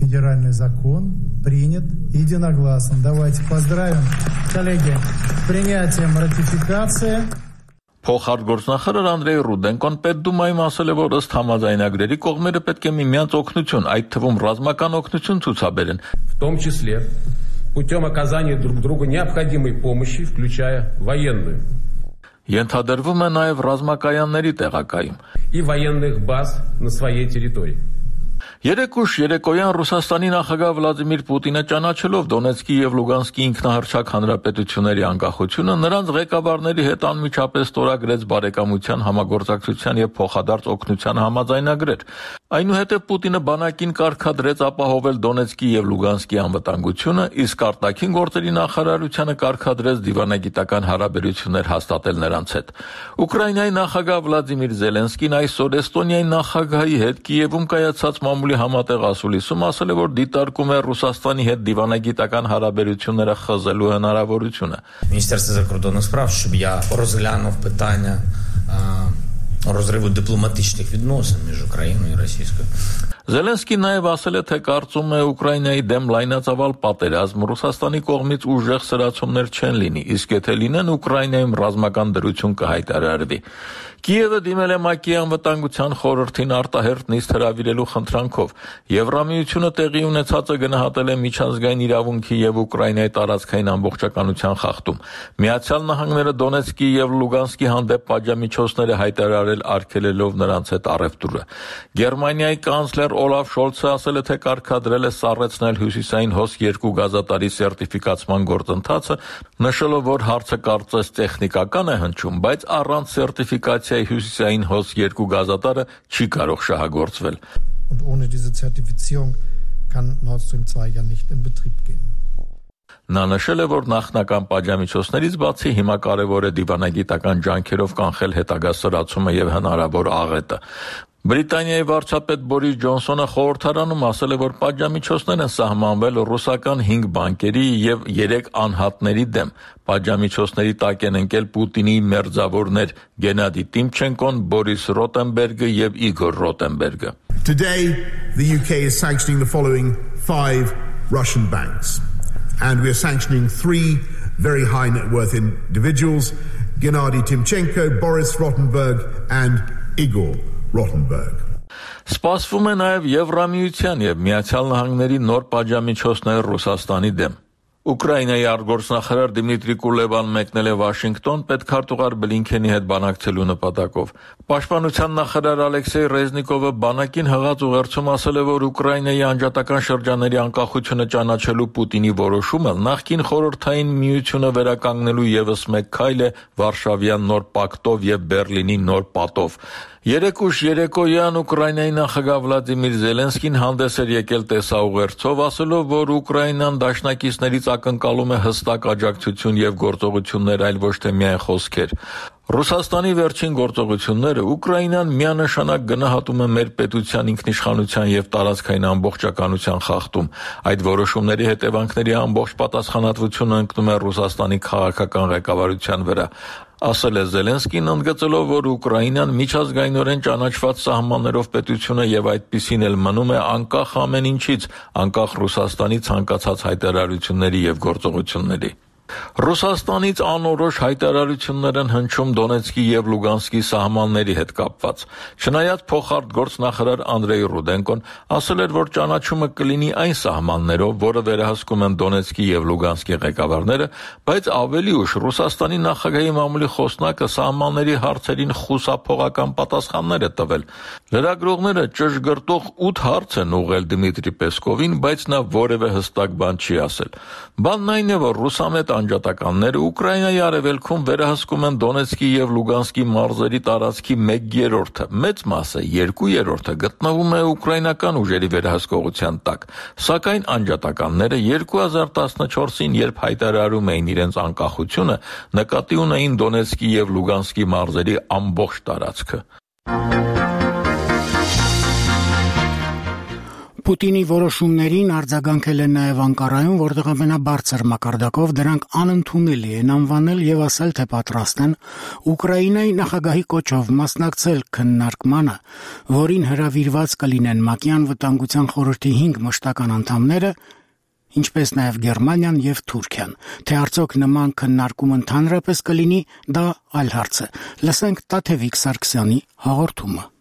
Федеральный закон принят единогласно. Давайте поздравим, коллеги, с принятием ратификации. Փոխարգործնախարար Անդրեյ Ռուդենկոն Պետդումայում ասել է, որ ըստ համաձայնագրերի կողմերը պետք է միմյանց օգնություն, այդ թվում ռազմական օգնություն ցուցաբերեն։ В том числе путем оказания друг другу необходимой помощи, включая военную. Ենթադրվում է նաև ռազմակայանների տեղակայում и военных баз на своей территории. Երեք ուշ երեկոյան Ռուսաստանի նախագահ Վլադիմիր Պուտինը ճանաչելով Դոնեցկի եւ Լուգանսկի ինքնահռչակ հանրապետությունների անկախությունը նրանց ղեկավարների հետ անմիջապես ստորագրեց բարեկամության, համագործակցության եւ փոխադարձ օգնության համաձայնագրեր։ Այնուհետև Պուտինը բանակին կարգադրեց ապահովել Դոնեցկի եւ Լուգանսկի անվտանգությունը, իսկ արտաքին գործերի նախարարությանը կարգադրեց դիվանագիտական հարաբերություններ հաստատել նրանց հետ։ Ուկրաինայի նախագահ Վլադիմիր Զելենսկին այսօր Էստոնիայի նախագահի հետ Կիևում կայացած մամուլի համատեղ ասուլիսում ասել է, որ դիտարկում է Ռուսաստանի հետ դիվանագիտական հարաբերությունները խզելու հնարավորությունը։ Міністерство закордонних справ, щоб я розглянув питання розриву дипломатичних відносин між Україною і Російською. Զելենսկին նաև ասել է, թե կարծում է Ուկրաինայի դեմ լայնածավալ պատերազմ Ռուսաստանի կողմից ուժեղ սրացումներ չեն լինի, իսկ եթե լինեն, Ուկրաինայում ռազմական դրություն կհայտարարվի։ Կիևը դիմել է ՄԱԿ-ի անվտանգության խորհրդին արտահերթ նիստ հրավիրելու խնդրանքով։ Եվրամիությունը տեղի ունեցածը գնահատել է միջազգային իրավունքի եւ Ուկրաինայի տարածքային ամբողջականության խախտում։ Միացյալ Նահանգները Դոնեցկի եւ Լուգանսկի հանդեպ պատժամիջոցներ է հայտարարել արգելելով նրանց հետ առևտուրը։ Գերմանիայի կանցլեր Օլաֆ Շոլցը ասել է, թե կարգադրել է սառեցնել հյուսիսային հոս երկու գազատարի սերտիֆիկացման գործընթացը, նշելով, որ հարցը կարծես տեխնիկական է հնչում, բայց առանց սերտիֆիկացիայի հյուսիսային հոս երկու գազատարը չի կարող շահագործվել։ Und ohne diese Zertifizierung kann Nord Stream zwei ja nicht in Betrieb gehen. Նա նշել է, որ նախնական պատժամիջոցներից բացի հիմա կարևոր է դիվանագիտական ջանքերով կանխել հետագա սրացումը եւ հնարավոր աղետը։ Բրիտանիայի վարչապետ Բորիս Ջոնսոնը խորհրդարանում ասել է, որ պատժամիջոցներ են սահմանվել ռուսական հինգ բանկերի եւ երեք անհատների դեմ։ Պատժամիջոցների տակ են ընկել Պուտինի մերձավորներ Գենադի Տիմչենկոն, Բորիս Ռոտենբերգը եւ Իգոր Ռոտենբերգը։ Today the U K is sanctioning the following five Russian banks and we are sanctioning three very high net worth individuals, Gennady Timchenko, Boris Rottenberg and Igor Rottenberg. Սպասվում է նաև Եվրամիության եւ Միացյալ Նահանգների նոր պատժամիջոցներ Ռուսաստանի դեմ։ Ուկրաինայի արտգործնախարար Դիմիտրի Կուլեբան մեկնել է Վաշինգտոն պետքարտուղար Բլինքենի հետ բանակցելու նպատակով։ Պաշտպանության նախարար Ալեքսեյ Ռեզնիկովը բանակին հղած ուղերձում ասել է, որ Ուկրաինայի անջատական շրջանների անկախությունը ճանաչելու Պուտինի որոշումը նախկին խորհրդային միությունը վերականգնելու ևս մեկ քայլ է Վարշավյան նոր պակտով եւ Բերլինի նոր պատով։ Երեկ ուշ երեկոյան Ուկրաինայի նախագահ Վլադիմիր Զելենսկին հանդես էր եկել տեսաուղերձով, ասելով, որ Ուկրաինան դաշնակիցներից ակնկալում է հստակ աջակցություն եւ գործողություններ, այլ ոչ թե միայն խոսքեր։ Ռուսաստանի վերջին գործողությունները Ուկրաինան միանշանակ գնահատում է մեր պետության ինքնիշխանության եւ տարածքային ամբողջականության խախտում։ Այդ որոշումների հետևանքների ամբողջ պատասխանատվությունը ընկնում է Ռուսաստանի քաղաքական ղեկավարության վրա։ Ասել է Զելենսկին, ընդգծելով, որ Ուկրաինան միջազգայինորեն ճանաչված սահմաններով պետություն է եւ այդպիսին էլ մնում է անկախ ամեն ինչից, անկախ Ռուսաստանի ցանկացած հայտարարությունների եւ գործողությունների։ Ռուսաստանից անորոշ հայտարարություններ են հնչում Դոնեցկի եւ Լուգանսկի սահմանների հետ կապված։ Չնայած փոխարտգործնախարար Անդրեյ Ռուդենկոն ասել էր, որ ճանաչումը կլինի այն սահմաններով, որը վերահսկում են Դոնեցկի եւ Լուգանսկի ղեկավարները, բայց ավելի ուշ Ռուսաստանի նախագահի մամուլի խոսնակը սահմանների հարցերին խուսափողական պատասխաններ է տվել։ Լրագրողները ճշգրտող ութ հարց են ուղղել Դմիտրի Պեսկովին, բայց նա որևէ հստակ բան չի ասել։ Բանն այն է, որ ռուսամետ անջատականները Ուկրաինայի արևելքում վերահսկում են Դոնեցկի եւ Լուգանսկի մարզերի տարածքի մեկ երրորդը, մեծ մասը երկու երրորդը գտնվում է ուկրաինական ուժերի վերահսկողության տակ, սակայն անջատականները երկու հազար տասնչորսին, երբ հայտարարում էին իրենց անկախությունը, նկատի ունեին Դոնեցկի եւ Լուգանսկի մարզերի ամբողջ տարածքը։ Պուտինի որոշումներին արձագանքել են նաև Անկարայում, որտեղ ամենաբարձր մակարդակով դրանք անընդունելի են անվանել եւ ասել, թե պատրաստ են Ուկրաինայի նախագահի կոչով մասնակցել քննարկմանը, որին հրավիրված կլինեն ՄԱԿ-ի անվտանգության խորհրդի հինգ մշտական անդամները, ինչպես նաև Գերմանիան եւ Թուրքիան։ Թե արդյոք նման քննարկում ընդհանրապես կլինի, դա այլ հարց է։ Լսենք Տաթևիկ Սարգսյանի հաղորդումը։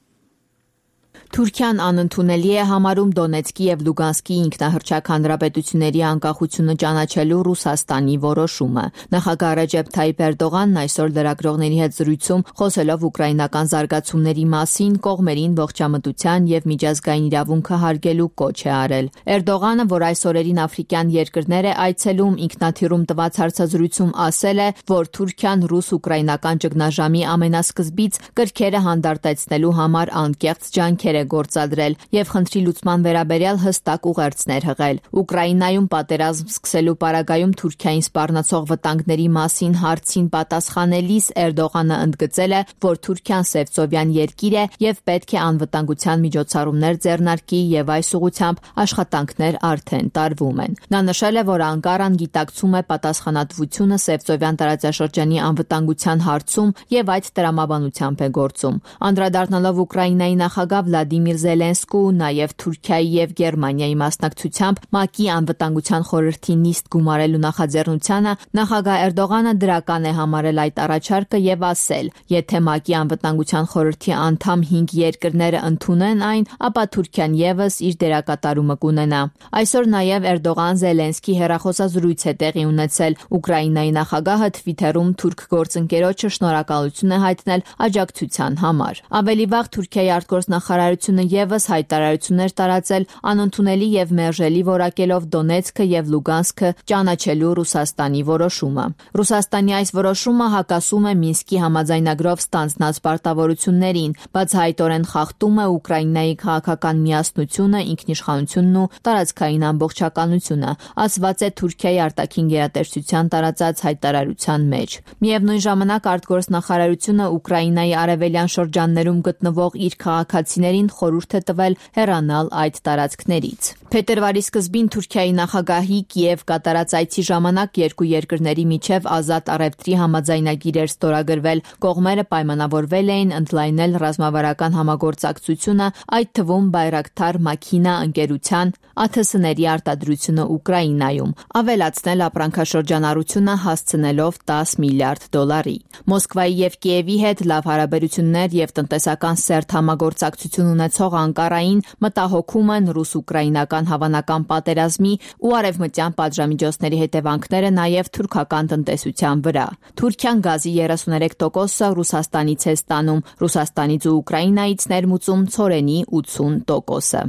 Թուրքիան անընդունելի է համարում Դոնեցկի եւ Լուգանսկի ինքնահռչակ հանրապետությունների անկախությունը ճանաչելու Ռուսաստանի որոշումը։ Նախագահ Ռեջեփ Թայիփ Էրդողանն այսօր լրագրողների հետ զրույցում խոսելով ուկրաինական զարգացումների մասին կողմերին ողջամտության եւ միջազգային իրավունքը հարգելու կոչ է արել։ Էրդողանը, որ այս օրերին աֆրիկյան երկրներ է այցելում, ինքնաթիռում տված հարցազրույցում ասել է, որ Թուրքիան ռուս-ուկրաինական ճգնաժամի ամենասկզբից կրքերը հանդարտեցնելու համար անկեղծ ջանքեր է գործադրել եւ խնդրի լուծման վերաբերյալ հստակ ուղերձներ հղել։ Ուկրաինայում պատերազմ սկսելու պարագայում Թուրքիային սպառնացող վտանգների մասին հարցին պատասխանելիս Էրդողանը ընդգծել է, որ Թուրքիան Սևծովյան երկիր է եւ պետք է անվտանգության միջոցառումներ ձեռնարկի եւ այս ուղղությամբ աշխատանքներ արդեն տարվում են։ Նա նշել է, որ Անկարան գիտակցում է պատասխանատվությունը Սևծովյան տարածաշրջանի անվտանգության հարցում եւ այդ տրամաբանությամբ է գործում։ Անդրադառնալով Ուկրաինայի նախագահ Վլադիմիր Զելենսկու, նաև Թուրքիայի եւ Գերմանիայի մասնակցությամբ ՄԱԿ-ի անվտանգության խորհրդի նիստ գումարելու նախաձեռնությանը, նախագահ Էրդողանը դրական է համարել այդ առաջարկը եւ ասել, եթե ՄԱԿ-ի անվտանգության խորհրդի անդամ հինգ երկրները ընդունեն այն, ապա Թուրքիան եւս իր դերակատարումը կունենա։ Այսօր նաև Էրդողան-Զելենսկի հեռախոսազրույց է տեղի ունեցել։ Ուկրաինայի նախագահը Թվիթերում թուրք գործընկերոջը շնորհակալություն է հայտնել աջակցության համար։ Ավելի վաղ Թուրքիայի արտգործնախարարությունը եւս հայտարարություններ տարածել անընդունելի եւ մերժելի որակելով Դոնեցկը եւ Լուգանսկը ճանաչելու Ռուսաստանի որոշումը։ Ռուսաստանի այս որոշումը հակասում է Մինսկի համաձայնագրով ստանձնած պարտավորություններին, բացահայտորեն խախտում է Ուկրաինայի քաղաքական միասնությունը, ինքնիշխանությունն ու տարածքային ամբողջականությունը, ասված է Թուրքիայի արտաքին գերատեսչության տարածած հայտարարության մեջ։ Միևնույն ժամանակ արտգործնախարարությունը Ուկրաինայի արևելյան շրջաններում գտնվող իր քաղաքացիներին խորհուրդ է տվել հեռանալ այդ տարածքներից։ Փետրվարի սկզբին Թուրքիայի նախագահի Կիև կատարած այցի ժամանակ երկու երկրների միջև ազատ առևտրի համաձայնագիր էր ստորագրվել։ Կողմերը պայմանավորվել էին ընդլայնել ռազմավարական համագործակցությունը, այդ թվում Բայրակթար Մաքինա ընկերության ԱԹՍ-ների արտադրությունը Ուկրաինայում, ավելացնել ապրանքաշրջանառությունը հասցնելով տասը միլիարդ դոլարի։ Մոսկվայի եւ Կիևի հետ լավ հարաբերություններ եւ տնտեսական սերտ համագործակցություն ունեցող Անկարային մտահոգում են ռուս-ուկրաինական հավանական պատերազմի ու արևմտյան պատժամիջոցների հետևանքները նաև թուրքական տնտեսության վրա։ Թուրքիան գազի երեսուներեք տոկոսը Ռուսաստանից է ստանում, Ռուսաստանից ու Ուկրաինայից ներմուծում ցորենի ութսուն տոկոսը։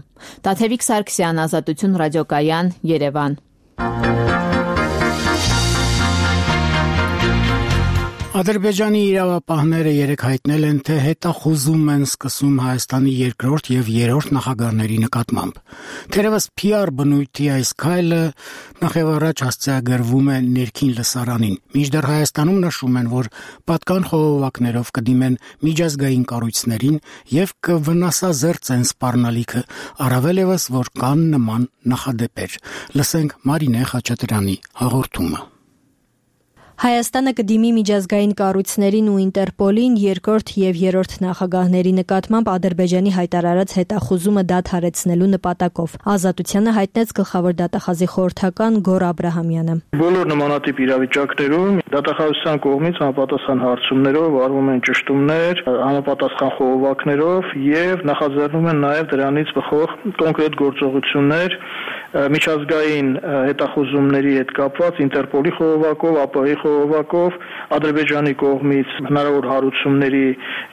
Տաթևիկ Սարգսյան, Ազատություն ռադիոկայան, Երևան։ Ադրբեջանի իրավապահները երեկ հայտնել են, թե հետախուզում են սկսում Հայաստանի երկրորդ եւ երրորդ նախագահների նկատմամբ։ Թերևս Փի Ար բնույթի այս քայլը նախևառաջ հասցեագրվում է ներքին լսարանին։ Մինչդեռ Հայաստանում նշում են, որ պատկան խողովակներով կդիմեն միջազգային կառույցներին եւ կվնասազերծեն սպառնալիքը, առավել եւս, որ կան նման նախադեպեր։ Լսենք Մարինե Խաչատրյանի հաղորդումը։ Հայաստանը կդիմի միջազգային կառույցներին ու Ինտերպոլին երկրորդ եւ երրորդ նախագահների նկատմամբ Ադրբեջանի հայտարարած հետախուզումը դադարեցնելու նպատակով։ Ազատությանը հայտնեց գլխավոր դատախազի խորհրդական Գոռ Աբրահամյանը։ Բոլոր նմանատիպ իրավիճակներում դատախազության կողմից համապատասխան հարցումներով արվում են ճշտումներ, համապատասխան խողովակներով եւ նախաձեռնում են նաեւ դրանից բխող կոնկրետ գործողություններ միջազգային հետախուզումների հետ կապված Ինտերպոլի խողովակով, ԱՊՀ-ի խողովակով, Ադրբեջանի կողմից հնարավոր հարուցումների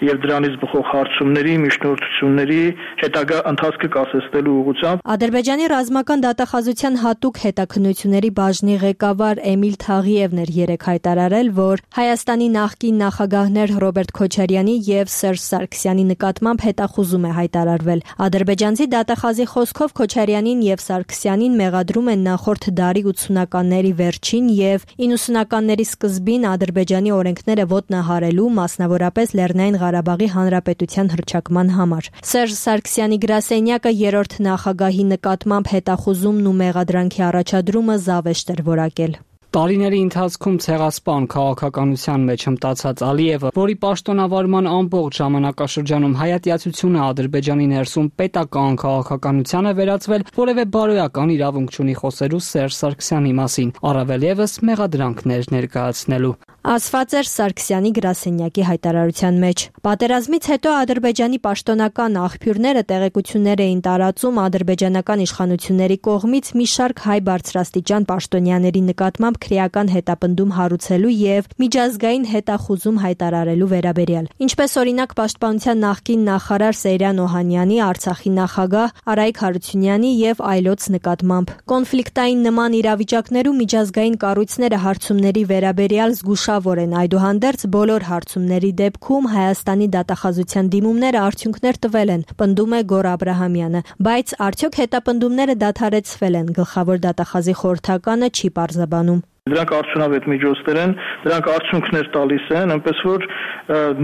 եւ դրանից բխող հարցումների, միջնորդությունների հետագա ընթացքը կասեցնելու ուղղությամբ։ Ադրբեջանի ռազմական դատախազության հատուկ հետաքննությունների բաժնի ղեկավար Էմիլ Թաղիևն էր երեկ հայտարարել, որ Հայաստանի նախկին նախագահներ Ռոբերտ Քոչարյանի եւ Սերժ Սարգսյանի նկատմամբ հետախուզում է հայտարարվել։ Ադրբեջանցի դատախազի խոսքով Քոչարյանին եւ Սարգսյանին մեղադրում են նախորդ դարի ութսունականների վերջին եւ իննսունականների սկզբին Ադրբեջանի օրենքները ոտնահարելու, մասնավորապես Լեռնային Ղարաբաղի Հանրապետության հռչակման համար։ Սերժ Սարգսյանի գրասենյակը երրորդ նախագահի նկատմամբ հետախուզումն ու մեղադրանքի առաջադրումը զավեշտ էր որակել։ Տարիների ընթացքում ցեղասպան քաղաքականության մեջ հմտացած Ալիևը, որի պաշտոնավարման ամբողջ ժամանակաշրջանում հայատյացությունը Ադրբեջանի ներսում պետական քաղաքականության է վերածվել, որևէ բարոյական իրավունք չունի խոսելու Սերժ Սարգսյանի մասին, առավել եւս մեղադրանքներ ներկայացնելու։ Ասված էր Սարգսյանի գրասենյակի հայտարարության մեջ։ Պատերազմից հետո Ադրբեջանի պաշտոնական աղբյուրները տեղեկություններ էին տարածում ադրբեջանական իշխանությունների կողմից մի շարք հայ բարձրաստիճան պաշտոնյաների նկատմամբ քրեական հետապնդում հարուցելու եւ միջազգային հետախուզում հայտարարելու վերաբերյալ։ Ինչպես օրինակ Պաշտպանության նախկին նախարար Սեյրան Օհանյանի, Արցախի նախագահ Արայիկ Հարությունյանի եւ այլոց նկատմամբ։ Կոնֆլիկտային նման իրավիճակներում միջազգային կառույցները հարցումների վերաբերյալ զգուշ են, այդուհանդերձ բոլոր հարցումների դեպքում Հայաստանի դատախազության դիմումները արդյունքներ տվել են, պնդում է Գոռ Աբրահամյանը, բայց արդյոք հետապնդումները դադարեցվել են, գլխավոր դատախազի խորհրդականը չի պարզաբանում։ Դրանք արդյունավետ միջոցներ են, դրանք արդյունքներ տալիս են, այնպես որ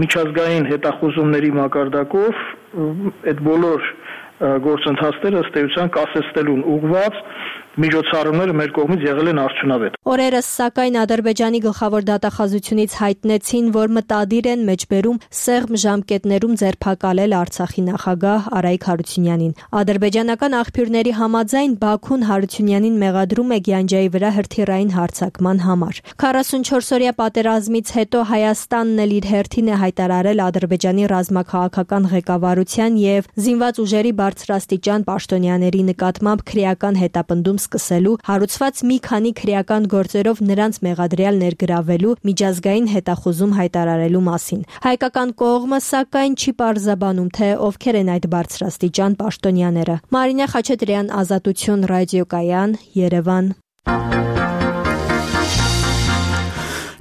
միջազգային հետախուզումների մակարդակով այդ բոլոր գործընթացները ըստ էության կասեցնելուն ուղղված միջոցառումները մեր կողմից եղել են արդյունավետ։ Օրերս սակայն Ադրբեջանի գլխավոր դատախազությունից հայտնեցին, որ մտադիր են մեջբերում սեղմ ժամկետներում ձերբակալել Արցախի նախագահ Արայիկ Հարությունյանին։ Ադրբեջանական աղբյուրների համաձայն Բաքուն Հարությունյանին մեղադրում է Գյանջայի վրա հրթիռային հարձակման համար։ քառասունչորսօրյա պատերազմից հետո Հայաստանն էլ իր հերթին է հայտարարել Ադրբեջանի ռազմաքաղաքական ղեկավարության եւ զինված ուժերի բարձրաստիճան պաշտոնյաների նկատմամբ քրեական հետապնդում սկսելու, հարուցված մի քանի քրեական գործերով նրանց մեղադրյալ ներգրավելու, միջազգային հետախուզում հայտարարելու մասին։ Հայկական կողմը սակայն չի պարզաբանում, թե ովքեր են այդ բարձրաստիճան պաշտոնյաները։ Մարինե Խաչատրյան, Ազատություն ռադիոկայան, Երևան։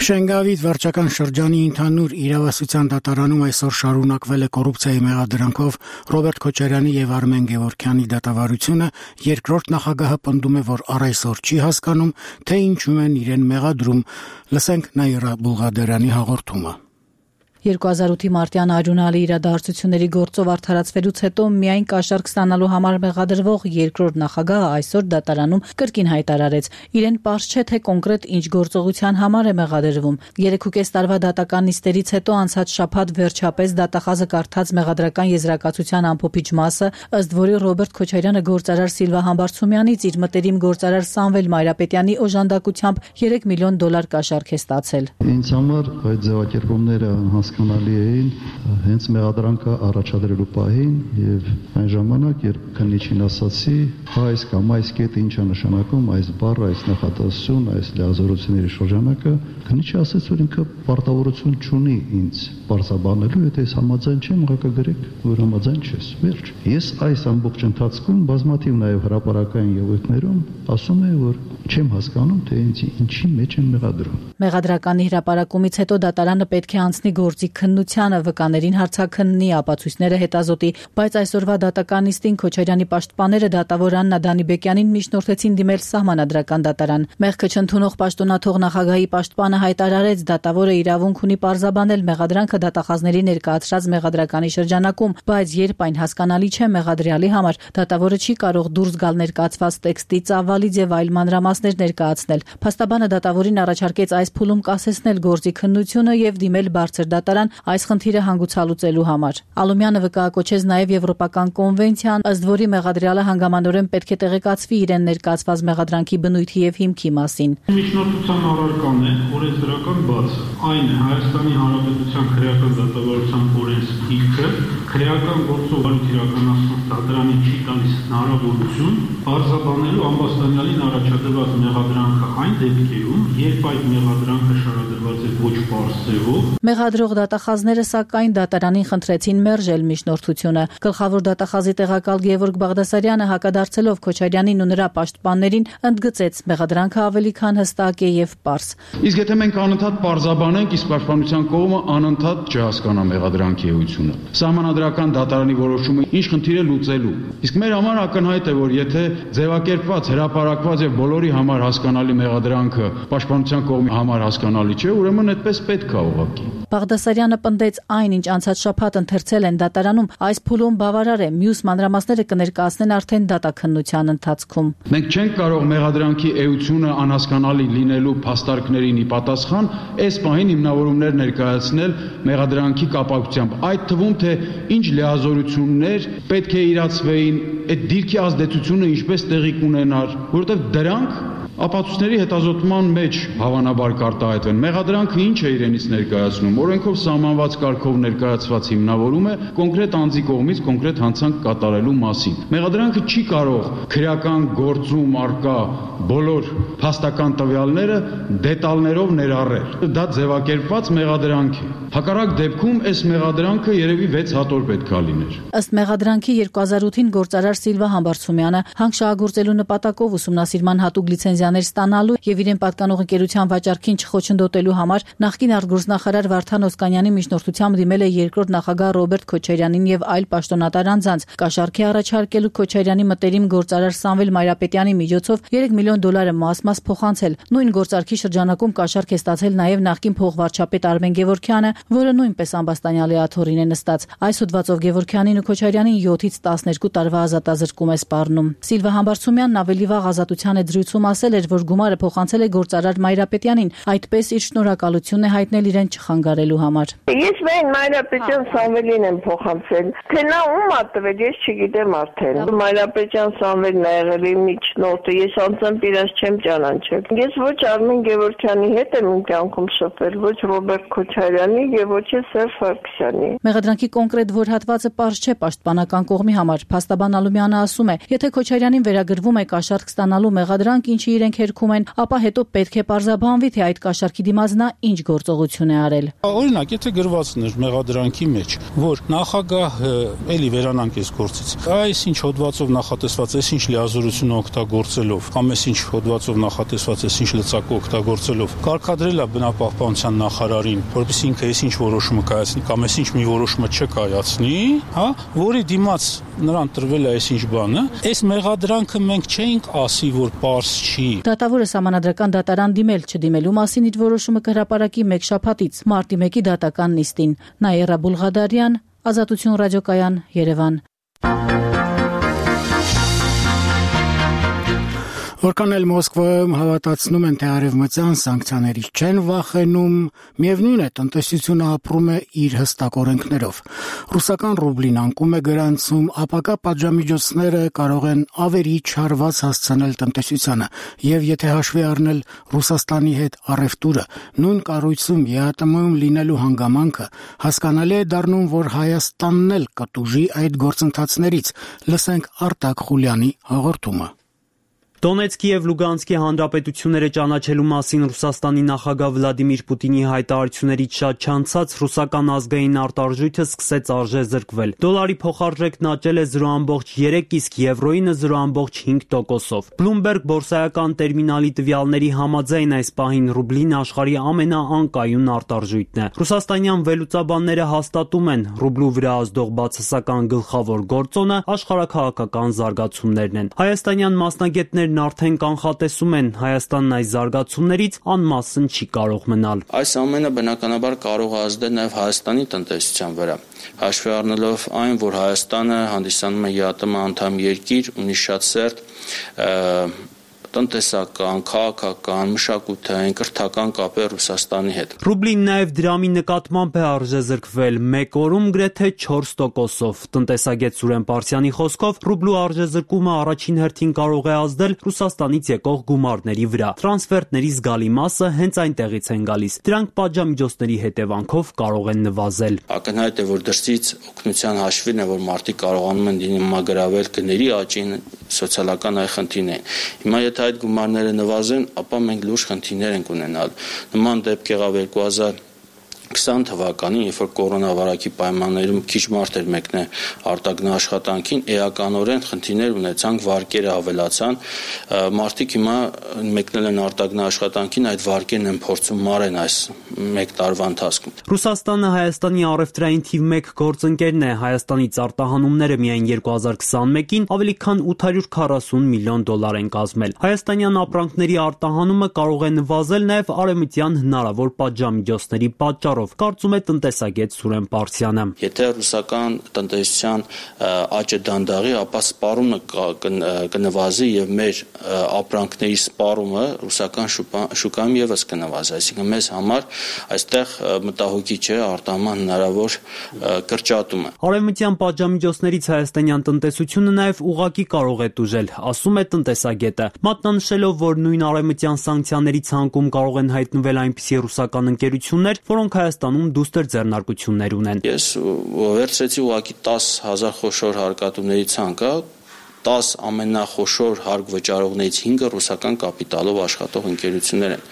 Շենգավիթ վարչական շրջանի ընդհանուր իրավասության դատարանում այսօր շարունակվել է կոռուպցիայի մեղադրանքով Ռոբերտ Քոչարյանի եւ Արմեն Գևորգյանի դատավարությունը, երկրորդ նախագահը պնդում է, որ առ այսօր չի հասկանում, թե ինչու են իրեն մեղադրում։ Լսենք Նաիրա Բուլղադարյանի հաղորդումը։ երկու հազար ութի մարտյան արյունալի իրադարձությունների գործով արդարացվելուց հետո միայն կաշառք ստանալու համար մեղադրվող երկրորդ նախագահը այսօր դատարանում կրկին հայտարարեց, իրեն պարզ չէ, թե կոնկրետ ինչ գործողության համար է մեղադրվում։ Երեքուկես տարվա դատական նիստերից հետո անցած շաբաթ վերջապես դատախազը կարդաց մեղադրական եզրակացության ամփոփիչ մասը, ըստ որի Ռոբերտ Քոչարյանը գործարար Սիլվա Համբարձումյանից իր մտերիմ գործարար Սամվել Մայրապետյանի օժանդակությամբ երեք միլիոն դոլար կաշառք է ստացել։ Ինձ համար այդ ձևակերպումները հասկանալի էին հենց մեղադրանքը առաջադրելու պահին եւ այն ժամանակ, երբ քննիչին ասացի, այս կամ այս կետը ինչ է նշանակում, այս բառը, այս նախատեսություն, այս լիազորությունների շրջանակը, քննիչը ասաց, որ ինքը պարտավորություն չունի ինձ բարձաբանելու, եթե ես համաձայն չեմ, ուղղակի գրեք, որ համաձայն չես։ Վերջ։ Ես այս ամբողջ ընթացքում բազմաթիվ նաեւ հրապարակային ելույթներում ասում եմ, որ չեմ հասկանում, թե ինձ ինչի մեջ են մեղադրում։ Մեղադրականի հրապարակումից հետո դատարանը պետք է անցնի գործի քննությանը, վկաներին հարցաքննի, ապացույցները հետազոտի, բայց այսօրվա դատականիստին Քոչարյանի պաշտպանները դատավոր Աննա Դանիբեկյանին միջնորդեցին դիմել սահմանադրական դատարան։ Մեղքը չընդունող պաշտոնաթող նախագահի պաշտպանը հայտարարեց, դատավորը իրավունք ունի պարզաբանել մեղադրանքը դատախազների ներկայացրած մեղադրականի շրջանակում, բայց երբ այն հասկանալի չէ մեղադրյալի համար, դատավորը չի կարող դուրս գալ ներկայացված տեքստի ծավալից եւ այլ մանրամասներ ներկայացնել։ Փաստաբանը դատավորին առաջարկեց այս փուլում կասեցնել գործի քննությունը եւ դիմել բարձր դատարան այս խնդիրը հանգուցալուծելու համար։ Ալումյանը վկայակոչեց նաեւ եվրոպական կոնվենցիան, ըստ որի մեղադրյալը հանգամանորեն պետք է տեղեկացվի իրեն ներկայացված մեղադրանքի բնույթի եւ հիմքի մասին։ Միջնորդության առարկան է օրենսդրական բացը։ Այն է Հայաստանի Հանրապետության քրեական դատավարության օրենսգիրքը, քրեական գործողություն իրականացնող դատարանին չի տալիս հնարավորություն բարձրաբանելու ամբաստանյալին առաջադրված մեղադրանքը այն դեպքերում, երբ այդ մեղադրանքը շարադրված է ոչ պարզ ձևով։ Մեղադրող դատախազները սակայն դատարանին խնդրեցին մերժել միջնորդությունը։ Գլխավոր դատախազի տեղակալ Գևորգ Բաղդասարյանը հակադարձելով Քոչարյանին ու նրա պաշտպաններին ընդգծեց մեղադրանքը ավելի քան հստակ է եւ պարզ։ Իսկ եթե մենք անընդհատ պարզաբանենք, իսկ պաշտպանության կողմը անընդհատ չհասկանա մեղադրանքի էությունը, սահմանադրական դատարանի որոշումը ինչ խնդիր է լուծելու։ Իսկ մեր համար ակնհայտ է, որ եթե ձևակերպված, հրապարակված եւ բոլորի համար հասկանալի մեղադրանքը պաշտպանության կողմի համար հասկանալի չէ, ուրեմն այդպես պետք է ուղղակի։ Բաղդասարյանը պնդեց այն, ինչ անցած շաբաթ ընթերցել են դատարանում, այս փուլում բավարար է, մյուս մանրամասները կներկայացնեն արդեն դատաքննության ընթացքում։ Մենք չենք կարող մեղադրանքի էությունը անհասկանալի լինելու փաստարկներին ի պատասխան այս պահին հիմնավորումներ ներկայացնել մեղադրանքի կապակցությամբ, այդ թվում թե ինչ լիազորություններ պետք է իրացվեին, այդ դիրքի ազդեցությունը ինչպես տեղի կունենար, որովհետև դրանք ապացույցների հետազոտման մեջ հավանաբար կարտահայտվեն։ Մեղադրանքը ինչ է իրենից ներկայացնում։ Օրենքով սահմանված կարգով ներկայացված հիմնավորում է կոնկրետ անձի կողմից կոնկրետ հանցանք կատարելու մասին։ Մեղադրանքը չի կարող քրեական գործում արկա բոլոր փաստական տվյալները դետալներով ներառել։ Դա ձևակերպված մեղադրանք է։ Հակառակ դեպքում այս մեղադրանքը երևի վեց հատոր պետք է լիներ։ Ըստ մեղադրանքի երկու հազար ութին գործարար Սիլվա Համբարձումյանը հանք շահագործելու նպատակով ուսումնասիրման հատուկ լիցենզիաներ ստանալու եւ իրեն պատկանող ընկերության վաճառքին չխոչընդոտելու համար նախկին արտգործնախարար Վարդան Օսկանյանի միջնորդությամբ դիմել է երկրորդ նախագահ Ռոբերտ Քոչարյանին եւ այլ պաշտոնատար անձանց։ Կաշառքի առաջարկելու Քոչարյանի մտերիմ գործարար Սամվել Մայրապետյանի միջոցով երեք միլիոն դոլարը մաս-մաս փոխանցել։ Նույն գործարքի շրջանակում կաշառք է ստացել նաեւ նախկին փոխվարչապետ Արմեն Գևորգյանը, որը նույնպես ամբաստանյալի աթոռին է նստած։ Այս հոդվածով Գևորգյանին ու Քոչարյանին յոթից տասներկու տարվա ազատազրկում է սպառնում։ Սիլվա Համբարձումյանն ավելի վաղ ազատության է զրույցում ասել էր, որ գումարը փոխանցել է գործարար Մայրապետյանին, այդպես իր շնորհակալությունն է հայտնել իրեն չխանգարելու համար։ Ես մեն Մայրապետյան Սամվելին եմ փոխանցել, թե նա ում ա տվել, ես չգիտեմ արդեն։ Մայրապետյան Սամվելն ա եղել իմ միջնորդը, ես անձամբ իրաց չեմ ճանաչել։ Ես ոչ Արմեն Գևորգյանի հետ եմ իմ կյանքում շփվել, ոչ Ռոբերտ Քոչարյանի եւ ոչ Սերժ Սարգսյանի։ Մեղադրանքի կոնկրետ որհատվածը պարզ չէ պաշտպանական կողմի համար։ Փաստաբան Ալումյանը ասում է, եթե Քոչարյանին վերագրվում է կաշառք ստանալու մեղադրանք, ինչի իրենք հերքում են, ապա հետո պետք է պարզաբանվի, թե այդ կաշառքի դիմաց նա ինչ գործողություն է արել։ Օրինակ, եթե գրվածներ մեղադրանքի մեջ, որ նախագահը էլի վերանանք այս գործից, այս ինչ հոդվածով նախատեսված, այս ինչ լիազորություն օգտագործելով, կամ այս ինչ հոդվածով նախատեսված, այս ինչ լծակը օգտագործելով, կարգադրել է բնապահպանության նախարարին, որպեսզի ինքը այս ինչ որոշումը կայացնի, կամ այս ինչ մի որոշումը չկայացնի, հա, որի դիմաց նրան տրվել է այս ինչ բանը, այս մեղադրանքը մենք չենք ասի, որ պարզ չի։ Դատավորը սահմանադրական դատարան դիմել չդիմելու մասին իր որոշումը կհրապարակի մեկ շաբաթից մարտի մեկի դատական նիստին։ Նաիրա Բուլղադարյան, Ազատություն ռադիոկայան, Երևան։ Որքան էլ Մոսկվայում հավատացնում են, թե արևմտյան սանկցիաներից չեն վախենում, միևնույն է, տնտեսությունը ապրում է իր հստակ օրենքներով։ Ռուսական ռուբլին անկում է գրանցում, ապակա պատժամիջոցները կարող են ավերիչ հարված հասցնել տնտեսությանը, եւ եթե հաշվի առնել Ռուսաստանի հետ առևտուրը, նույն կառույցում ԵԱՏՄ-ում լինելու հանգամանքը, հասկանալի է դառնում, որ Հայաստանն էլ կտուժի այդ գործընթացներից։ Լսենք Արտակ Խուլյանի հաղորդումը։ Դոնեցկի եւ Լուգանսկի հանրապետությունները ճանաչելու մասին Ռուսաստանի նախագահ Վլադիմիր Պուտինի հայտարարություններից շատ չանցած ռուսական ազգային արտարժույթը սկսեց արժեզրկվել։ Դոլարի փոխարժեքն աճել է զրո բացարձակ երեք, իսկ եվրոյինը զրո բացարձակ հինգ տոկոսով։ Bloomberg բորսայական տերմինալի տվյալների համաձայն այս պահին ռուբլին աշխարհի ամենաանկայուն արտարժույթն է։ Ռուսաստանյան վերլուծաբանները հաստատում են, ռուբլու վրա ազդող բացասական գլխավոր գործոնը աշխարհաքաղաքական զարգացումներն են։ Հայաստանյան մասնագետներ արդեն կանխատեսում են, Հայաստանն այս զարգացումներից անմասն չի կարող մնալ։ Այս ամենը բնականաբար կարող է ազդել նաև Հայաստանի տնտեսության վրա, հաշվի առնելով այն, որ Հայաստանը հանդիսանում է ԵԱՏՄ անդամ երկիր, ունի շատ սերտ տնտեսական, քաղաքական, մշակութային, կրթական կապեր Ռուսաստանի հետ։ Ռուբլին նաև դրամի նկատմամբ է արժեզրկվել մեկ օրում գրեթե չորս տոկոսով։ Տնտեսագետ Սուրեն Պարսյանի խոսքով ռուբլու արժեզրկումը առաջին հերթին կարող է ազդել Ռուսաստանից եկող գումարների վրա։ Տրանսֆերտների զգալի մասը հենց այնտեղից են գալիս։ Դրանք պատժամիջոցների հետևանքով կարող են նվազել։ Ակնհայտ է, որ դրսից օգնության հաշվին է, որ մարդիկ կարողանում են դիմագրավել գների աճին, սոցիալական այ խնդիրներ։ Հիմա եթե այդ գումարները նվազեն, ապա մենք լուրջ խնդիրներ ենք ունենալ։ Նման դեպք եղավ երկու հազար քսան թվականին, երբ որ կորոնավիրուսի պայմաններում քիչ մարդ էր մեկնել արտագնա աշխատանքին, էականորեն խնդիրներ ունեցանք, վարկերը ավելացան, մարդիկ հիմա մեկնել են արտագնա աշխատանքին, այդ վարկերն են փորձում մարեն այս մեկ տարվա ընթացքում։ Ռուսաստանը Հայաստանի առևտրային թիվ մեկ գործընկերն է, Հայաստանից արտահանումները միայն երկու հազար քսանմեկին ավելի քան ութ հարյուր քառասուն միլիոն դոլար են կազմել։ Հայաստանյան ապրանքների արտահանումը կարող է նվազել նաև արևմտյան հնարավոր պատժամիջոցների պատճառով, կարծում է տնտեսագետ Սուրեն Պարսյանը։ Եթե ռուսական տնտեսության աճը դանդաղի, ապա սպառումը կնվազի եւ մեր ապրանքների սպառումը ռուսական շուկայում եւս կնվազի, այսինքն մեզ համար այստեղ մտահոգի չէ արտահանման հնարավոր կրճատումը։ Արևմտյան պատժամիջոցներից հայաստանյան տնտեսությունը նաև ուղղակի կարող է տուժել, ասում է տնտեսագետը, մատնանշելով, որ նույն արևմտյան սանկցիաների ցանկում կարող են հայտնվել այնպիսի ռուսական ընկերություններ, որոնք Հայաստանում դուստր ձեռնարկություններ ունեն։ Ես վերցրեցի ուղղակի տասը հազար խոշոր հարկատուների ցանկը, տասը ամենախոշոր հարկ վճարողներից հինգը ռուսական կապիտալով աշխատող ընկերություններ են։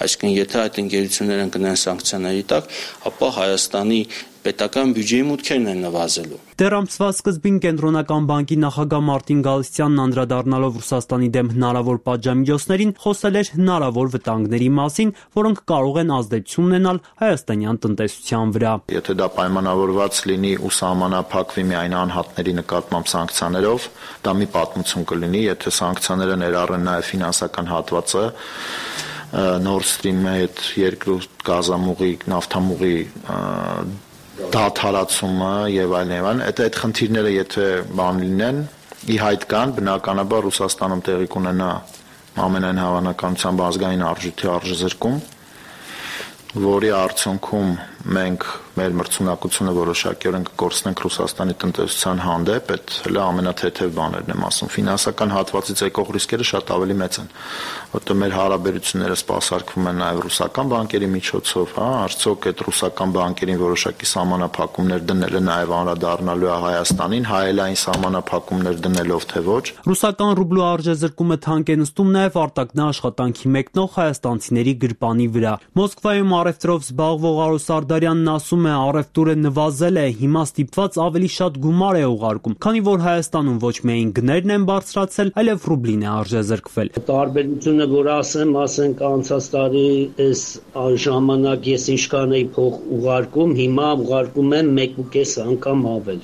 Այսինքն, եթե այդ ընկերությունները ընկնեն սանկցիաների տակ, ապա Հայաստանի պետական բյուջեի մուտքերն են նվազելու։ Դեռ ամսվա սկզբին Կենտրոնական բանկի նախագահ Մարտին Գալստյանն անդրադառնալով Ռուսաստանի դեմ հնարավոր պատժամիջոցներին, խոսել էր հնարավոր վտանգների մասին, որոնք կարող են ազդեցություն ունենալ հայաստանյան տնտեսության վրա։ Եթե դա պայմանավորված լինի ու սահմանափակվի միայն անհատների նկատմամբ սանկցիաներով, դա մի պատմություն կլինի, եթե սանկցիաները ներառեն նաև ֆինանսական հատվածը, Nord Stream-ի հետ երկրու գազամուղի, նավթամուղի դադարացումը եւ այլն եւ այլն, այդ այդ խնդիրները եթե բան լինեն, ի հայտ կան, բնականաբար Ռուսաստանում տեղի կունենա ամենայն հավանականությամբ ազգային արժույթի արժեզրկում, որի արդյունքում մենք մեր մրցունակությունը որոշակիորեն կկորցնենք Ռուսաստանի տնտեսության հանդեպ, այդ հələ ամենաթեթև բաներն եմ ասում։ Ֆինանսական հատվածից եկող ռիսկերը շատ ավելի մեծ են, որտեղ մեր հարաբերությունները սպասարկվում են նաև ռուսական բանկերի միջոցով, հա, արդյոք այդ ռուսական բանկերին որոշակի սահմանափակումներ դնելը նաև անդրադառնալու է Հայաստանին, հայելային սահմանափակումներ դնելով թե ոչ։ Ռուսական ռուբլու արժեզրկումը թանկ է նստում նաև արտաքնա աշխատանքի մեկնող հայաստանցիների գրպանի վրա։ Մոսկվայում առևտրով զբաղվող Արոս Սարդարյանն ասում է, առևտուրը նվազել է, հիմա ստիպված ավելի շատ գումար է ուղարկում, քանի որ Հայաստանում ոչ միայն գներն են բարձրացել, այլև ռուբլին է արժեզրկվել։ Տարբերությունը, որ ասեմ, ասենք անցած տարի այս ժամանակ ես ինչքան էի փող ուղարկում, հիմա ուղարկում եմ մեկ ու կես անգամ ավել։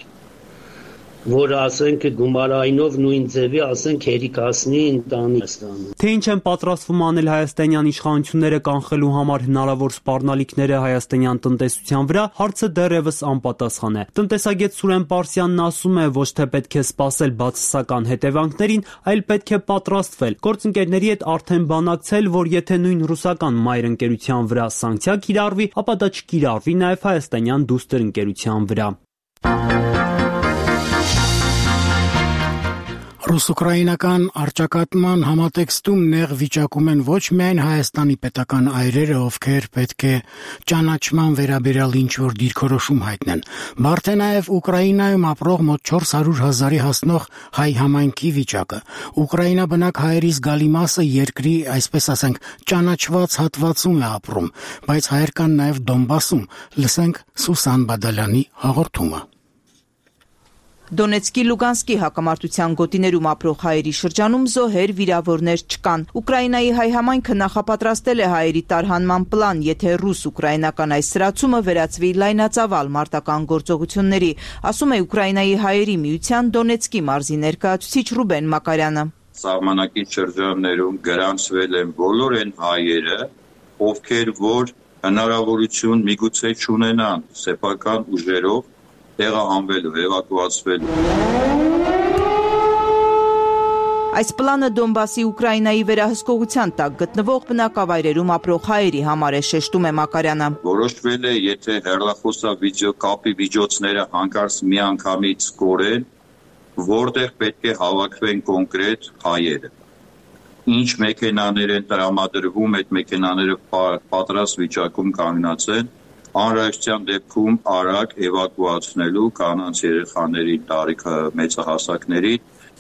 որ ասենք գումարայինով նույն ձևի ասենք հերիքասնի ընտանիքստանը։ Թե ինչ են պատրաստվում անել հայաստանյան իշխանությունները կանխելու համար հնարավոր սպառնալիքները հայաստանյան տնտեսության վրա, հարցը դեռևս անպատասխան է։ Տնտեսագետ Սուրեն Պարսյանն ասում է, ոչ թե պետք է սպասել բացասական հետևանքներին, այլ պետք է պատրաստվել, գործընկերների հետ արդեն բանակցել, որ եթե նույն ռուսական մայր ընկերության վրա սանկցիա կիրառվի, ապա դա չկիրառվի նաև հայաստանյան դուստր ընկերության վրա։ Ռուս-ուկրաինական առճակատման համատեքստում նեղ վիճակում են ոչ միայն Հայաստանի պետական այրերը, ովքեր պետք է ճանաչման վերաբերյալ ինչ-որ դիրքորոշում հայտնեն, բարդ է նաև Ուկրաինայում ապրող մոտ չորս հարյուր հազարի հասնող հայ համայնքի վիճակը։ Ուկրաինա բնակ հայերի զգալի մասը երկրի, այսպես ասենք, ճանաչված հատվածում է ապրում, բայց հայեր կան նաև Դոնբասում։ Լսենք Սուսան Բադալյանի հաղորդումը։ Դոնեցկի Լուգանսկի հակամարտության գոտիներում ապրող հայերի շրջանում զոհեր, վիրավորներ չկան։ Ուկրաինայի հայ համայնքը նախապատրաստել է հայերի տարհանման պլան, եթե ռուս-ուկրաինական այս սրացումը վերածվի լայնածավալ մարտական գործողությունների, ասում է Ուկրաինայի հայերի միության Դոնեցկի մարզի ներկայացուցիչ Ռուբեն Մակարյանը։ Սահմանակի շրջաններում գրանցվել են բոլոր այն հայերը, ովքեր որ հնարավորություն միգուցե չունենան սեփական ուժերով տեղահանվելու, էվակուացվելու։ Այս պլանը Դոնբասի Ուկրաինայի վերահսկողության տակ գտնվող բնակավայրերում ապրող հայերի համար է, շեշտում է Մակարյանը։ Որոշվել է, եթե հեռախոսավիդեոկապի միջոցները հանկարծ միանգամից կորեն, որտեղ պետք է հավաքվեն կոնկրետ հայերը։ Ինչ մեքենաներ են տրամադրվում, այդ մեքենաները պատրաստ վիճակում կանգնած են, անհրաժեշտության դեպքում արագ էվակուացնելու կանանց երեխաների, տարիքը մեծահասակների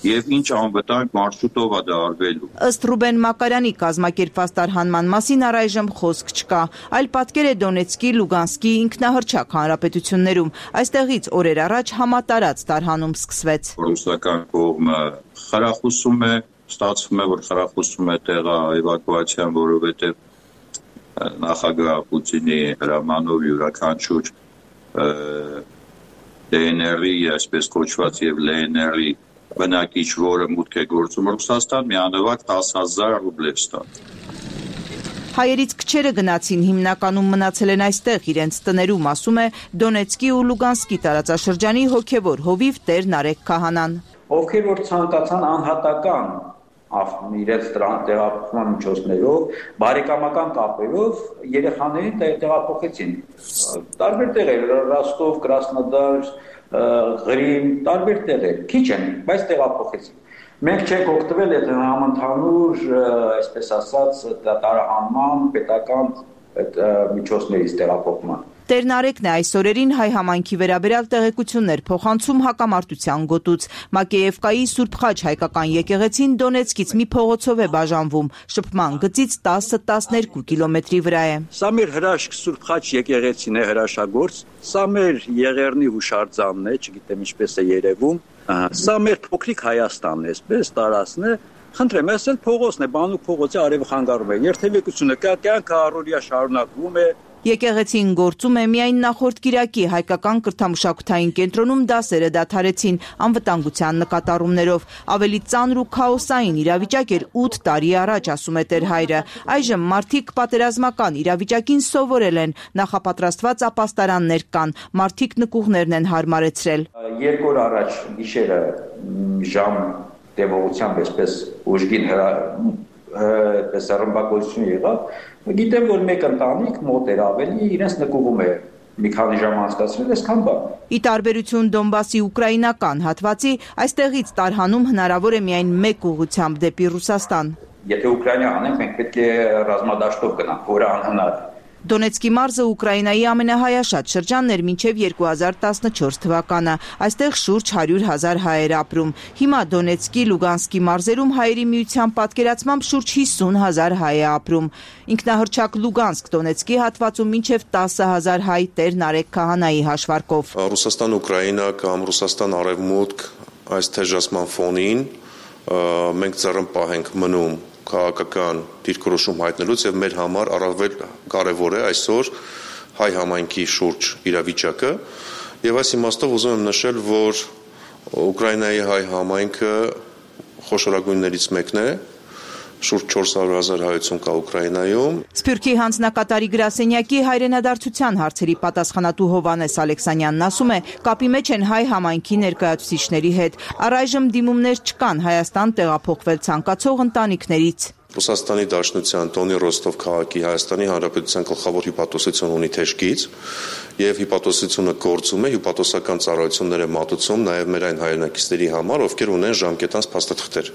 եւ ինչ անվտանգ մարշրուտով է դա արվելու։ Ըստ Ռուբեն Մակարյանի կազմակերպված տարհանման մասին առայժմ խոսք չկա, այլ պատկեր է Դոնեցկի, Լուգանսկի ինքնահռչակ հանրապետություններում։ Այստեղից օրեր առաջ համատարած տարհանում սկսվեց։ Ռուսական կողմը խրախուսում է, ստացվում է, որ խրախուսում է տեղա էվակուացիան, որովհետեւ նախագահ Պուտինի հրամանով յուրաքանչյուր դե են եր-ի, այսպես կոչված եւ Էլ Են եր-ի բնակիչ, որը մուտք է գործում Ռուսաստան, միանվագ տասը հազար ռուբլև ստան։ Հայերից քչերը գնացին, հիմնականում մնացել են այստեղ իրենց տներում, ասում է Դոնեցկի ու Լուգանսկի տարածաշրջանի հոգևոր հովիվ Տեր Նարեկ Քահանան։ Ովքեր որ ցանկացան անհատական իրենց տեղափոխման միջոցներով, բարեկամական կապերով երեխաներին տեղափոխեցին։ Տարբեր տեղեր, Ռոստով, Կրասնոդար, Ղրիմ, տարբեր տեղեր, քիչ են, բայց տեղափոխեցին։ Մենք չենք օգտվել այդ համընդհանուր, այսպես ասած, տարհանման պետական միջոցներից տեղափոխման։ Տեր Նարեկն է այս օրերին հայ համայնքի վերաբերյալ տեղեկություններ փոխանցում հակամարտության գոտուց։ Մակեևկայի Սուրբ Խաչ հայկական եկեղեցին Դոնեցկից մի փողոցով է բաժանվում, շփման գծից տասը տասներկու կիլոմետրի վրա է։ Սա մեր հրաշք Սուրբ Խաչ եկեղեցին է, հրաշագործ, սա մեր Եղեռնի հուշարձանն է, չգիտեմ ինչպես է երևում, սա մեր փոքրիկ Հայաստանն է, այսպես տարածքն է։ Խնդրեմ, այս էլ փողոցն է, Բանուկ փողոցի արևը խանգարում է։ Երթևեկությունը կյանքը առօրյա շարունակվում է։ Եկեղեցին գործում է միայն նախորդ կիրակի հայկական կրթամշակութային կենտրոնում դասերը դադարեցին անվտանգության նկատառումներով։ Ավելի ծանր ու քաոսային իրավիճակ էր ութ տարի առաջ, ասում է Տեր Հայրը։ Այժմ մարդիկ պատերազմական իրավիճակին սովորել են, նախապատրաստված ապաստարաններ կան, մարդիկ նկուղներն են հարմարեցրել։ Երկու օր առաջ գիշերը ժամ տևողությամբ այսպես ուժգին այդպես ռմբակոծություն եղավ, գիտեմ, որ մեկ ընտանիք մոտ էր ավելի, իրենց նկուղում է մի քանի ժամ անցկացրել, այսքան բան։ Ի տարբերություն Դոնբասի ուկրաինական հատվածի, այստեղից տարհանում հնարավոր է միայն մեկ ուղղությամբ դեպի Ռուսաստան։ Եթե Ուկրաինա անենք, մենք պետք է ռազմադաշտով գնանք, որը անհնար է։ Դոնեցկի մարզը Ուկրաինայի ամենահայաշատ շրջանն էր մինչև երկու հազար տասնչորս թվականը։ Այստեղ շուրջ հարյուր հազար հայեր ապրում։ Հիմա Դոնեցկի, Լուգանսկի մարզերում հայերի միության պատկերացմամբ շուրջ հիսուն հազար հայ է ապրում։ Ինքնահռչակ Լուգանսկ Դոնեցկի հատվածում մինչև տասը հազար հայ Տեր Նարեկ Քահանայի հաշվարկով։ Ռուսաստան-Ուկրաինա կամ Ռուսաստան-Արևմուտք այս թեժացման ֆոնին մենք ծառնպահ ենք մնում քաղաքական դիրքորոշում հայտնելուց եւ մեր համար առավել կարեւոր է այսօր հայ համայնքի շուրջ իրավիճակը եւ այս իմաստով ուզում եմ նշել, որ Ուկրաինայի հայ համայնքը խոշորագույններից մեկն է, շուրջ չորս հարյուր հազար հայություն կա Ուկրաինայում։ Սփյուռքի հանձնակատարի գրասենյակի հայրենադարձության հարցերի պատասխանատու Հովհաննես Ալեքսանյանն ասում է, կապի մեջ են հայ համայնքի ներկայացուցիչների հետ։ Առայժմ դիմումներ չկան Հայաստան տեղափոխվել ցանկացող ընտանիքներից։ Ռուսաստանի Դաշնության տոնի Ռոստով քաղաքի Հայաստանի Հանրապետության գլխավոր հյուպատոսություն ունի թեժգից եւ հյուպատոսությունը գործում է, հյուպատոսական ծառայություններ է մատուցում նաեւ մեր այն հայրենակիցների համար, ովքեր ունեն ժամկետանց փաստաթղթեր։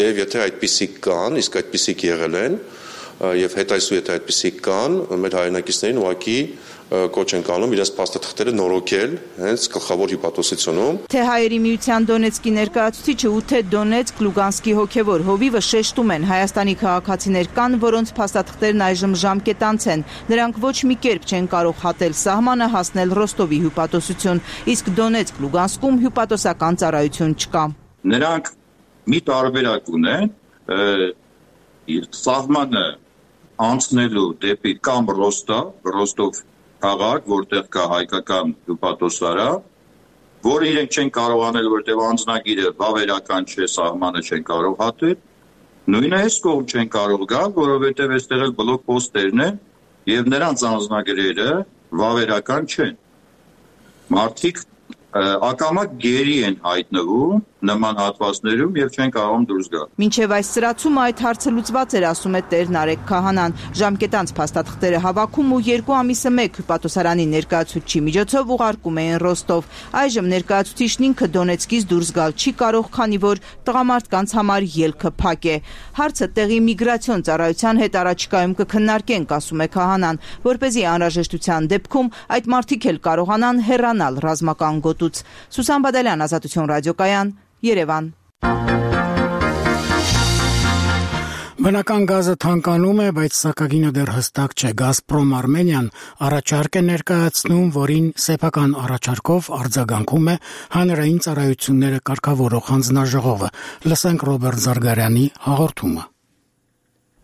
Եվ եթե այդպիսիք կան, իսկ այդպիսիք եղել են, եւ հետայսու եթե այդպիսիք կան, մեր հայրենակիցներին ուղղակի կոչ են կանում իրենց փաստաթղթերը նորոգել հենց գլխավոր հյուպատոսությունում։ Թե հայերի միության Դոնեցկի ներկայացուցիչը ու թե Դոնեցկ Լուգանսկի հոգևոր հովիվը շեշտում են Հայաստանի քաղաքացիներ կան, որոնց փաստաթղթերն այժմ ժամկետանց են։ Նրանք ոչ մի կերպ չեն կարող հատել սահմանը հասնել Ռոստովի հյուպատոսություն, իսկ Դոնեցկ Լուգանսկում հյուպատոսական ծառայություն չկա։ Նրանք մի տարբերակ ունեն սահմանը անցնելու դեպի կամ Ռոստով, Ռոստով քաղաք, որտեղ կա հայկական հյուպատոսարան, որ իրենք չեն կարող անել, որտեղ անձնագիրը վավերական չէ, սահմանը չեն կարող հատել, նույնը այս կողմ չեն կարող գալ, որովհետև այստեղ էլ բլոկ պոստերն են եւ նրանց անձնագրերը վավերական չեն։ Մարդիկ ակամա գերի են հայտնվում նման հատվածներում եւ չեն կարող դուրս գալ։ Մինչեւ այս սրացումը այդ հարցը լուծված էր, ասում է Տեր Նարեկ Քահանան։ Ժամկետանց փաստաթղթերը հավաքում ու երկու ամիսը մեկ հյուպատոսարանի ներկայացուցչի միջոցով ուղարկում էին Ռոստով։ Այժմ ներկայացուցիչն ինքը Դոնեցկից դուրս գալ չի կարող, քանի որ տղամարդկանց համար ելքը փակ է։ Հարցը տեղի միգրացիոն ծառայության հետ առաջիկայում կքննարկենք, ասում է Քահանան, որպեսզի անհրաժեշտության դեպքում այդ մարդիկ էլ կարողանան հեռանալ ռազմական գոտուց։ Սուսան Բադալյան, Ազատություն ռադիոկայան, Երևան։ Բնական գազը թանկանում է, բայց սակագինը դեռ հստակ չէ։ Գազպրոմ Արմենիան առաջարկ է ներկայացնում, որին սեփական առաջարկով արձագանքում է հանրային ծառայությունները կարգավորող հանձնաժողովը։ Լսենք Ռոբերտ Զարգարյանի հաղորդումը։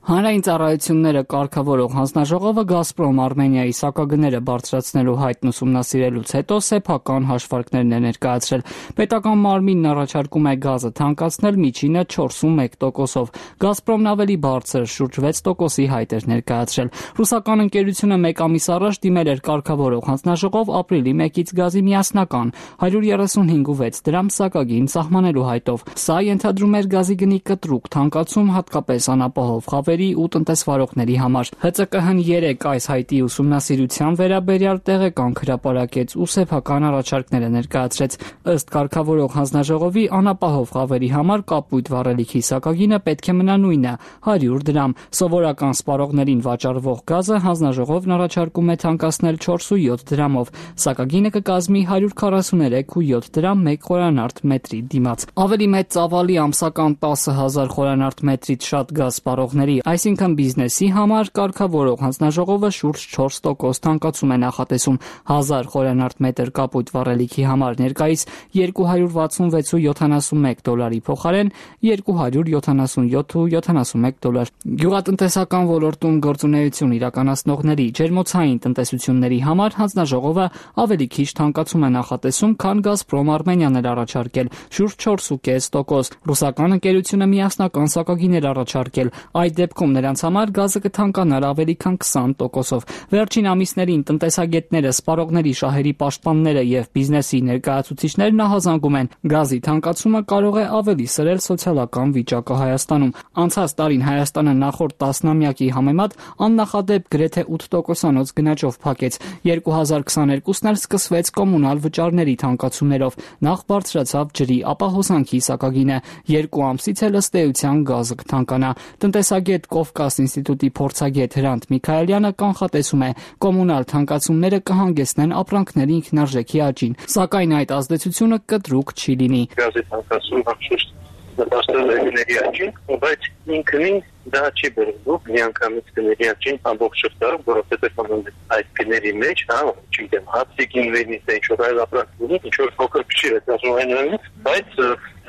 Հանրային ծառայությունները կարգավորող հանձնաժողովը Գազպրոմ Արմենիայի սակագները բարձրացնելու հայտն ուսումնասիրելուց հետո սեփական հաշվարկներն է ներկայացրել։ Պետական մարմինն առաջարկում է գազը թանկացնել միջինը չորսունմեկ տոկոսով։ Գազպրոմն ավելի բարձր շուրջ վեց տոկոսի հայտ էր ներկայացրել։ Ռուսական ընկերությունը մեկ ամիս առաջ դիմել էր կարգավորող հանձնաժողով ապրիլի մեկից գազի միասնական հարյուր երեսունհինգ ու վեց դրամ սակագին սահմանելու հայտով։ Սա ենթադրում էր գազի գնի կտրուկ թանկացում, հատկապես անապահով խավերի ու տնտեսվարողների համար։ Հ Ծ Կ Հ-ն երեք այս հայտի ուսումնասիրության վերաբերյալ տեղեկանք հրապարակեց ու սեփական առաջարկները ներկայացրեց։ Ըստ կարգավորող հանձնաժողովի անապահով խավերի համար կապույտ վառելիքի սակագինը պետք է մնա նույնը՝ հարյուր դրամ։ Սովորական սպառողներին վաճառվող գազը հանձնաժողովն առաջարկում է թանկացնել չորս ու յոթ դրամով։ Սակագինը կկազմի հարյուր քառասուներեք ու յոթ դրամ մեկ խորանարդ մետրի դիմաց։ Ավելի մեծ ծավալի ամսական տասը հազար խորանարդ մետրից շատ գազ սպառողների, այսինքն բիզնեսի համար կարգավորող հանձնաժողովը շուրջ չորս տոկոս թանկացում է նախատեսում։ հազար խորանարդ մետր կապույտ վառելիքի համար ներկայիս երկու հարյուր վաթսունվեց ու յոթանասունմեկ դոլարի փոխարեն երկու հարյուր յոթանասունյոթ ու յոթանասունմեկ դոլար։ Գյուղատնտեսական ոլորտում գործունեություն իրականացնողների ջերմոցային տնտեսությունների համար հանձնաժողովը ավելի քիչ թանկացում է նախատեսում, քան Գազպրոմ Արմենիան էր առաջարկել՝ շուրջ չորս ու կես տոկոս։ Ռուսական ընկերությունը միասնական սակագին էր առաջարկել։ Այդ դեպքում նրանց համար գազը կթանկանար ավելի քան քսան տոկոսով։ Վերջին ամիսներին տնտեսագետները, սպառողների շահերի պաշտպանները եւ բիզնեսի ներկայացուցիչներն ահազանգում են, գազի թանկացումը կարող է ավելի սրել սոցիալական վիճակը Հայաստանում։ Անցած տարին Հայաստանը նախորդ տասնամյակի համեմատ աննախադեպ գրեթե ութ տոկոսանոց գնաճով փակեց։ երկու հազար քսաներկուսն էլ սկսվեց կոմունալ վճարների թանկացումներով։ Նախ բարձրացավ ջրի, ապա հոսանքի սակագինը։ Երկու ամսից էլ ըստ էության գազը կթանկանա։ Տնտեսագետ Կովկաս ինստիտուտի փորձագետ Հրանտ Միքայելյանը կանխատեսում է, կոմունալ թանկացումները կհանգեցնեն ապրանքների ինքնարժեքի աճին, սակայն այդ ազդեցությունը կտրուկ չի լինի։ Գազի թանկացումը շուտ նպաստել է գների աճին, բայց ինքնին դա չի բերվում միանգամից գների աճին ամբողջ շրջանում, որովհետև այդ գների մեջ, հա, չգիտեմ, հացի գինվերից է ինչ-որ այլ ապրանքների, ինչ-որ փոքր քչիր է դասուհայնանից, բայց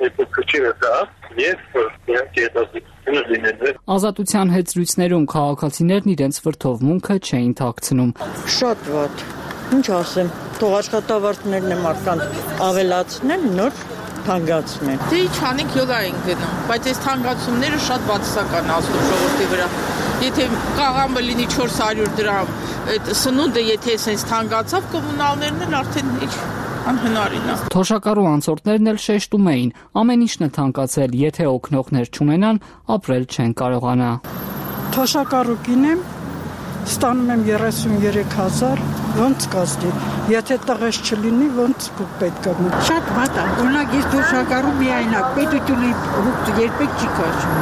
այդ քչիրը դա եւ իհարկե հետազոտությունը լինել։ Ազատության հետ զրույցներում քաղաքացիներն իրենց վրդովմունքը չէին թաքցնում։ Շատ վատ։ Ինչ ասեմ, թող աշխատավարձներն են մարդկանց ավելացնեն, նոր թանկացում են։ Դե ինչ անենք, յոգա ենք գնում, բայց այս թանկացումները շատ բացասական ազդում ժողովրդի վրա։ Եթե կաղամը լինի չորս հարյուր դրամ, այդ սնունդը եթե sense թանկացավ, կոմունալներն էլ արդեն ինչ անհնարին է։ Թոշակառու անցորդներն էլ շեշտում էին, ամեն ինչն է թանկացել, եթե օգնողներ չունենան, ապրել չեն կարողանա։ Թոշակառու կինեմ, ստանում եմ երեսուններեք հազար, ոնց կազդի, եթե տղես չլինի, ոնց պետք է։ Շատ վատ է, օրինակ ես թոշակառու միայնակ, պետությունը հուղ երբեք չի կաշում։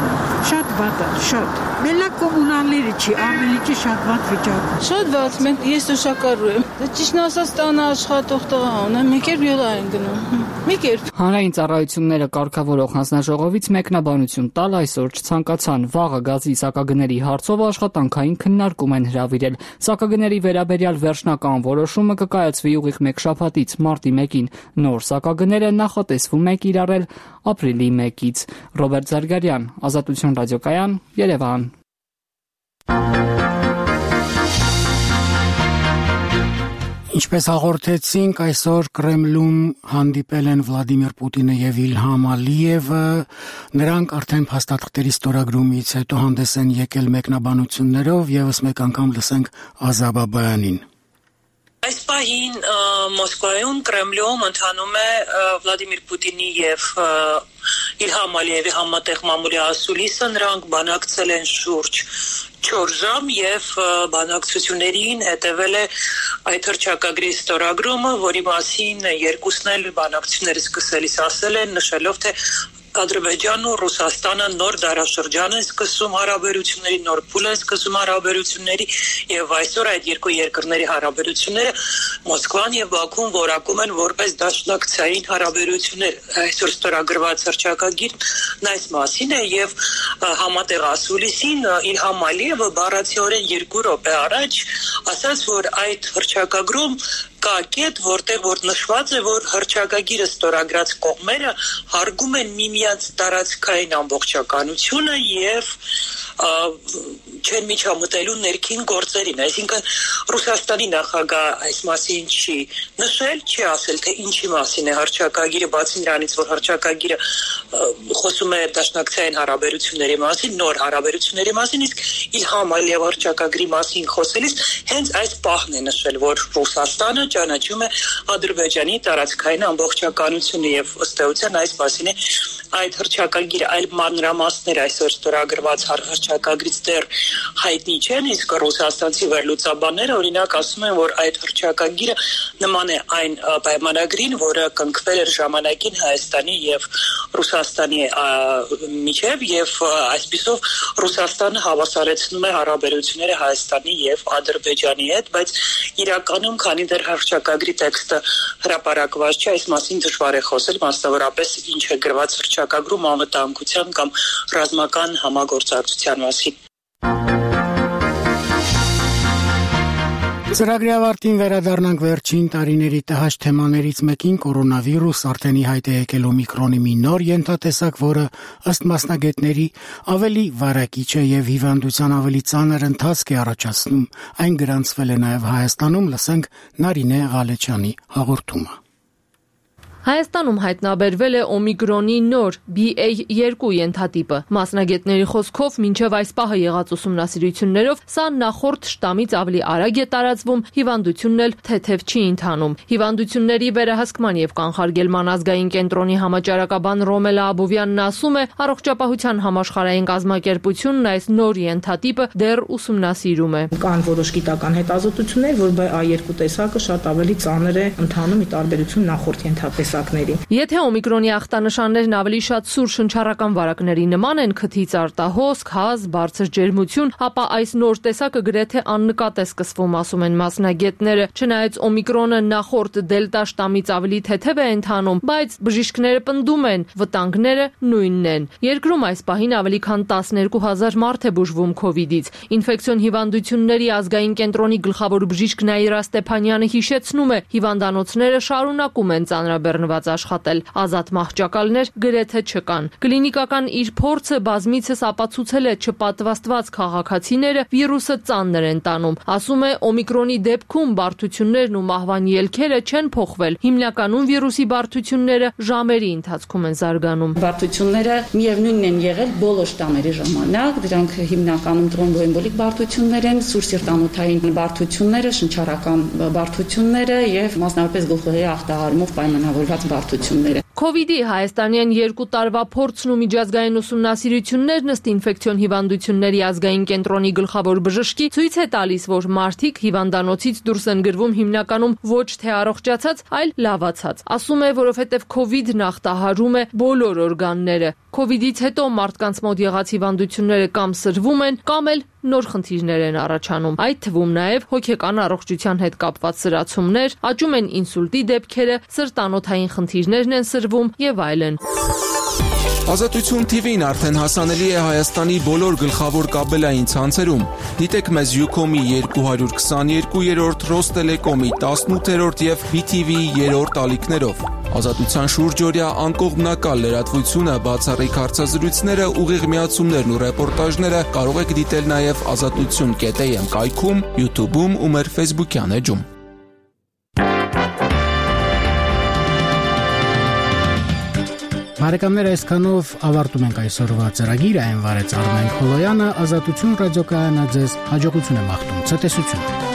Շատ վատ է, շատ։ Մենակ կոմունալները չի, ամեն ինչը շատ վատ վիճակում։ Շատ վատ, մենք ես թոշակառու եմ։ Դա ճիշտն ասած տանը աշխատող տղա ունեմ, մեկ էլ յոլա են գնում։ Մեկ էլ։ Հանրային ծառայությունները կարգավորող հանձնաժողովից մեկնաբանություն տալ այսօր չցանկացան։ Վաղը գազի սակագների հարցով աշխատանքային քննարկում են հրավիրել։ Սակագների վերաբերյալ վերջնական որոշումը կկայացվի ուղիղ մեկ շաբաթից մարտի մեկին։ Նոր սակագները նախատեսվում է կիրառել ապրիլի մեկից։ Ռոբերտ Զարգարյան, Ազատություն ռադիոկայան, Երևան։ Ինչպես հաղորդեցինք, այսօր Կրեմլում հանդիպել են Վլադիմիր Պուտինը եւ Իլհամ Ալիևը, նրանք արդեն փաստաթղթերի ստորագրումից հետո հանդես են եկել մեկնաբանություններով, եւս մեկ անգամ լսենք Ազաբաբայանին։ Այս պահին Մոսկվայում Կրեմլում ընթանում է Վլադիմիր Պուտինի եւ Իլհամ Ալիևի համատեղ մամուլի ասուլիսը, նրանք բանակցել են շուրջ չորս ժամ եւ բանակցություններին հետեւել է այդ հռչակագրի ստորագրումը, որի մասին երկուսն էլ բանակցությունները սկսելիս ասել են, նշելով թե Ադրբեջանն ու Ռուսաստանը նոր դարաշրջան են սկսում հարաբերությունների, նոր փուլ են սկսում հարաբերությունների եւ այսօր այդ երկու երկրների հարաբերությունները Մոսկվան եւ Բաքուն որակում են որպես դաշնակցային հարաբերություններ։ Այսօր ստորագրված հռչակագիրն այս մասին է եւ համատեղ ասուլիսին Իլհամ Ալիևը բառացիորեն երկու րոպե առաջ ասաց, որ այդ հռչակագրում կա կետ, որտեղ որ նշված է, որ հռչակագիրը ստորագրած կողմերը հարգում են միմյանց տարածքային ամբողջականությունը եւ չեն միջամտելու ներքին գործերին, այսինքն Ռուսաստանի նախագահ այս մասին չի նշել, չի ասել, թե ինչի մասին է հռչակագիրը, բացի նրանից, որ հռչակագիրը խոսում է դաշնակցային հարաբերությունների մասին, նոր հարաբերությունների մասին, իսկ Իլհամ Ալիև հռչակագրի մասին խոսելիս հենց այս պահն է նշել, որ Ռուսաստանը ճանաչում է Ադրբեջանի տարածքային ամբողջականությունը եւ ըստ էության այս մասին է այդ հռչակագիրը, այլ մանրամասներ այսօր ստորագրված հռչակագրից դեռ հայտնի չեն, իսկ ռուսաստանցի վերլուծաբանները օրինակ ասում են, որ այդ հռչակագիրը նման է այն պայմանագրին, որը կնքվել էր ժամանակին Հայաստանի եւ Ռուսաստանի միջև եւ այսպիսով Ռուսաստանը հավասարեցնում է հարաբերությունները Հայաստանի եւ Ադրբեջանի հետ, բայց իրականում քանի դեռ հռչակագրի տեքստը հրապարակված չէ, այս մասին դժվար է խոսել, մասնավորապես ինչ է գրված հռչակագրում անվտանգության կամ ռազմական համագործակցության մասին։ Ծրագրի ավարտին վերադառնանք վերջին տարիների տհաճ թեմաներից մեկին՝ կորոնավիրուս, արդեն ի հայտ է եկել օմիկրոնի մի նոր ենթատեսակ, որը ըստ մասնագետների ավելի վարակիչ է եւ հիվանդության ավելի ծանր ընթացք է առաջացնում։ Այն գրանցվել է նաեւ Հայաստանում, լսենք Նարինե Ղալեչյանի հաղորդումը։ Հայաստանում հայտնաբերվել է օմիկրոնի նոր B A two ենթատիպը։ Մասնագետների խոսքով մինչև այս պահը եղած ուսումնասիրություններով սա նախորդ շտամից ավելի արագ է տարածվում, հիվանդությունն էլ թեթև չի ընթանում։ Հիվանդությունների վերահսկման եւ կանխարգելման ազգային կենտրոնի համաճարակաբան Ռոմելա Աբովյանն ասում է, առողջապահության համաշխարհային կազմակերպությունն այս նոր ենթատիպը դեռ ուսումնասիրում է։ Կան որոշ գիտական հետազոտություններ, որ B A two տեսակը շատ ավելի ծանր է ընթանում ի տարբերություն նախորդ ենթատեսակների։ Եթե օմիկրոնի ախտանշաններն ավելի շատ սուր շնչառական վարակների նման են, քթից արտահոսք, հազ, բարձր ջերմություն, ապա այս նոր տեսակը գրեթե աննկատ է սկսվում, ասում են մասնագետները։ Չնայած օմիկրոնը նախորդ դելտա շտամից ավելի թեթև է ընթանում, բայց բժիշկները պնդում են, վտանգները նույնն են։ Երկրում այս պահին ավելի քան տասներկու հազար մարդ է բուժվում քովիդից։ Ինֆեկցիոն հիվանդությունների ազգային կենտրոնի գլխավոր բժիշկ Նաիրա Ստեփանյանը հիշեցնում է, հիվանդանոցները շարունակում են ծանրաբեռնվել պաշտպանված աշխատել։ Ազատ մահճակալներ գրեթե չկան։ Կլինիկական իր փորձը բազմիցս ապացուցել է չպատվաստված քաղաքացիները վիրուսը ծանր են տանում։ Ասում է օմիկրոնի դեպքում բարդություններն ու մահվան ելքերը չեն փոխվել։ Հիմնականում վիրուսի բարդությունները ժամերի ընթացքում են զարգանում։ Բարդությունները միևնույնն են եղել բոլոր շտամերի ժամանակ, դրանք հիմնականում տրոմբոեմբոլիկ բարդություններ են, սուրսիրտանոթային բարդությունները, շնչառական բարդությունները եւ մասնավորապես գլխուղեղի ախտահարումով պայմանավորված բարդությունները։ Քովիդի հայաստանյան երկու տարվա փորձն ու միջազգային ուսումնասիրություններն ըստ ինֆեկցիոն հիվանդությունների ազգային կենտրոնի գլխավոր բժշկի ցույց է տալիս, որ մարդիկ հիվանդանոցից դուրս են գրվում հիմնականում ոչ թե առողջացած, այլ լավացած։ Ասում է, որովհետև քովիդն ախտահարում է բոլոր օրգանները։ Քովիդից հետո մարդկանց մոտ եղած հիվանդությունները կամ սրվում են, կամ էլ նոր խնդիրներ են առաջանում։ Այդ թվում նաև հոգեկան առողջության հետ կապված սրացումներ, աճում են ինսուլտի դեպքերը, սրտանոթային խնդիրներն են սրվում եւ այլն։ Ազատություն թի վին արդեն հասանելի է Հայաստանի բոլոր գլխավոր կաբելային ցանցերում։ Դիտեք մեզ Ucom-ի երկու քսաներկուերորդ, Ռոստելեկոմի տասնութերորդ եւ բի թի վի-ի երրորդ ալիքներով։ Ազատության շուրջօրյա անկողմնակալ լրատվությունը, բացառիկ հարցազրույցները, ուղիղ միացումներն ու ռեպորտաժները կարող եք դիտել նաև ազատություն կետ էյ էմ կայքում, YouTube-ում ու մեր Facebook-յան էջում։ Բարեկամներ, այսքանով ավարտում ենք այսօրվա ծրագիրը, այն վարեց Արմեն Խոլոյանը, Ազատություն ռադիոկայանը ձեզ հաջողություն է մաղթում, ցտեսություն։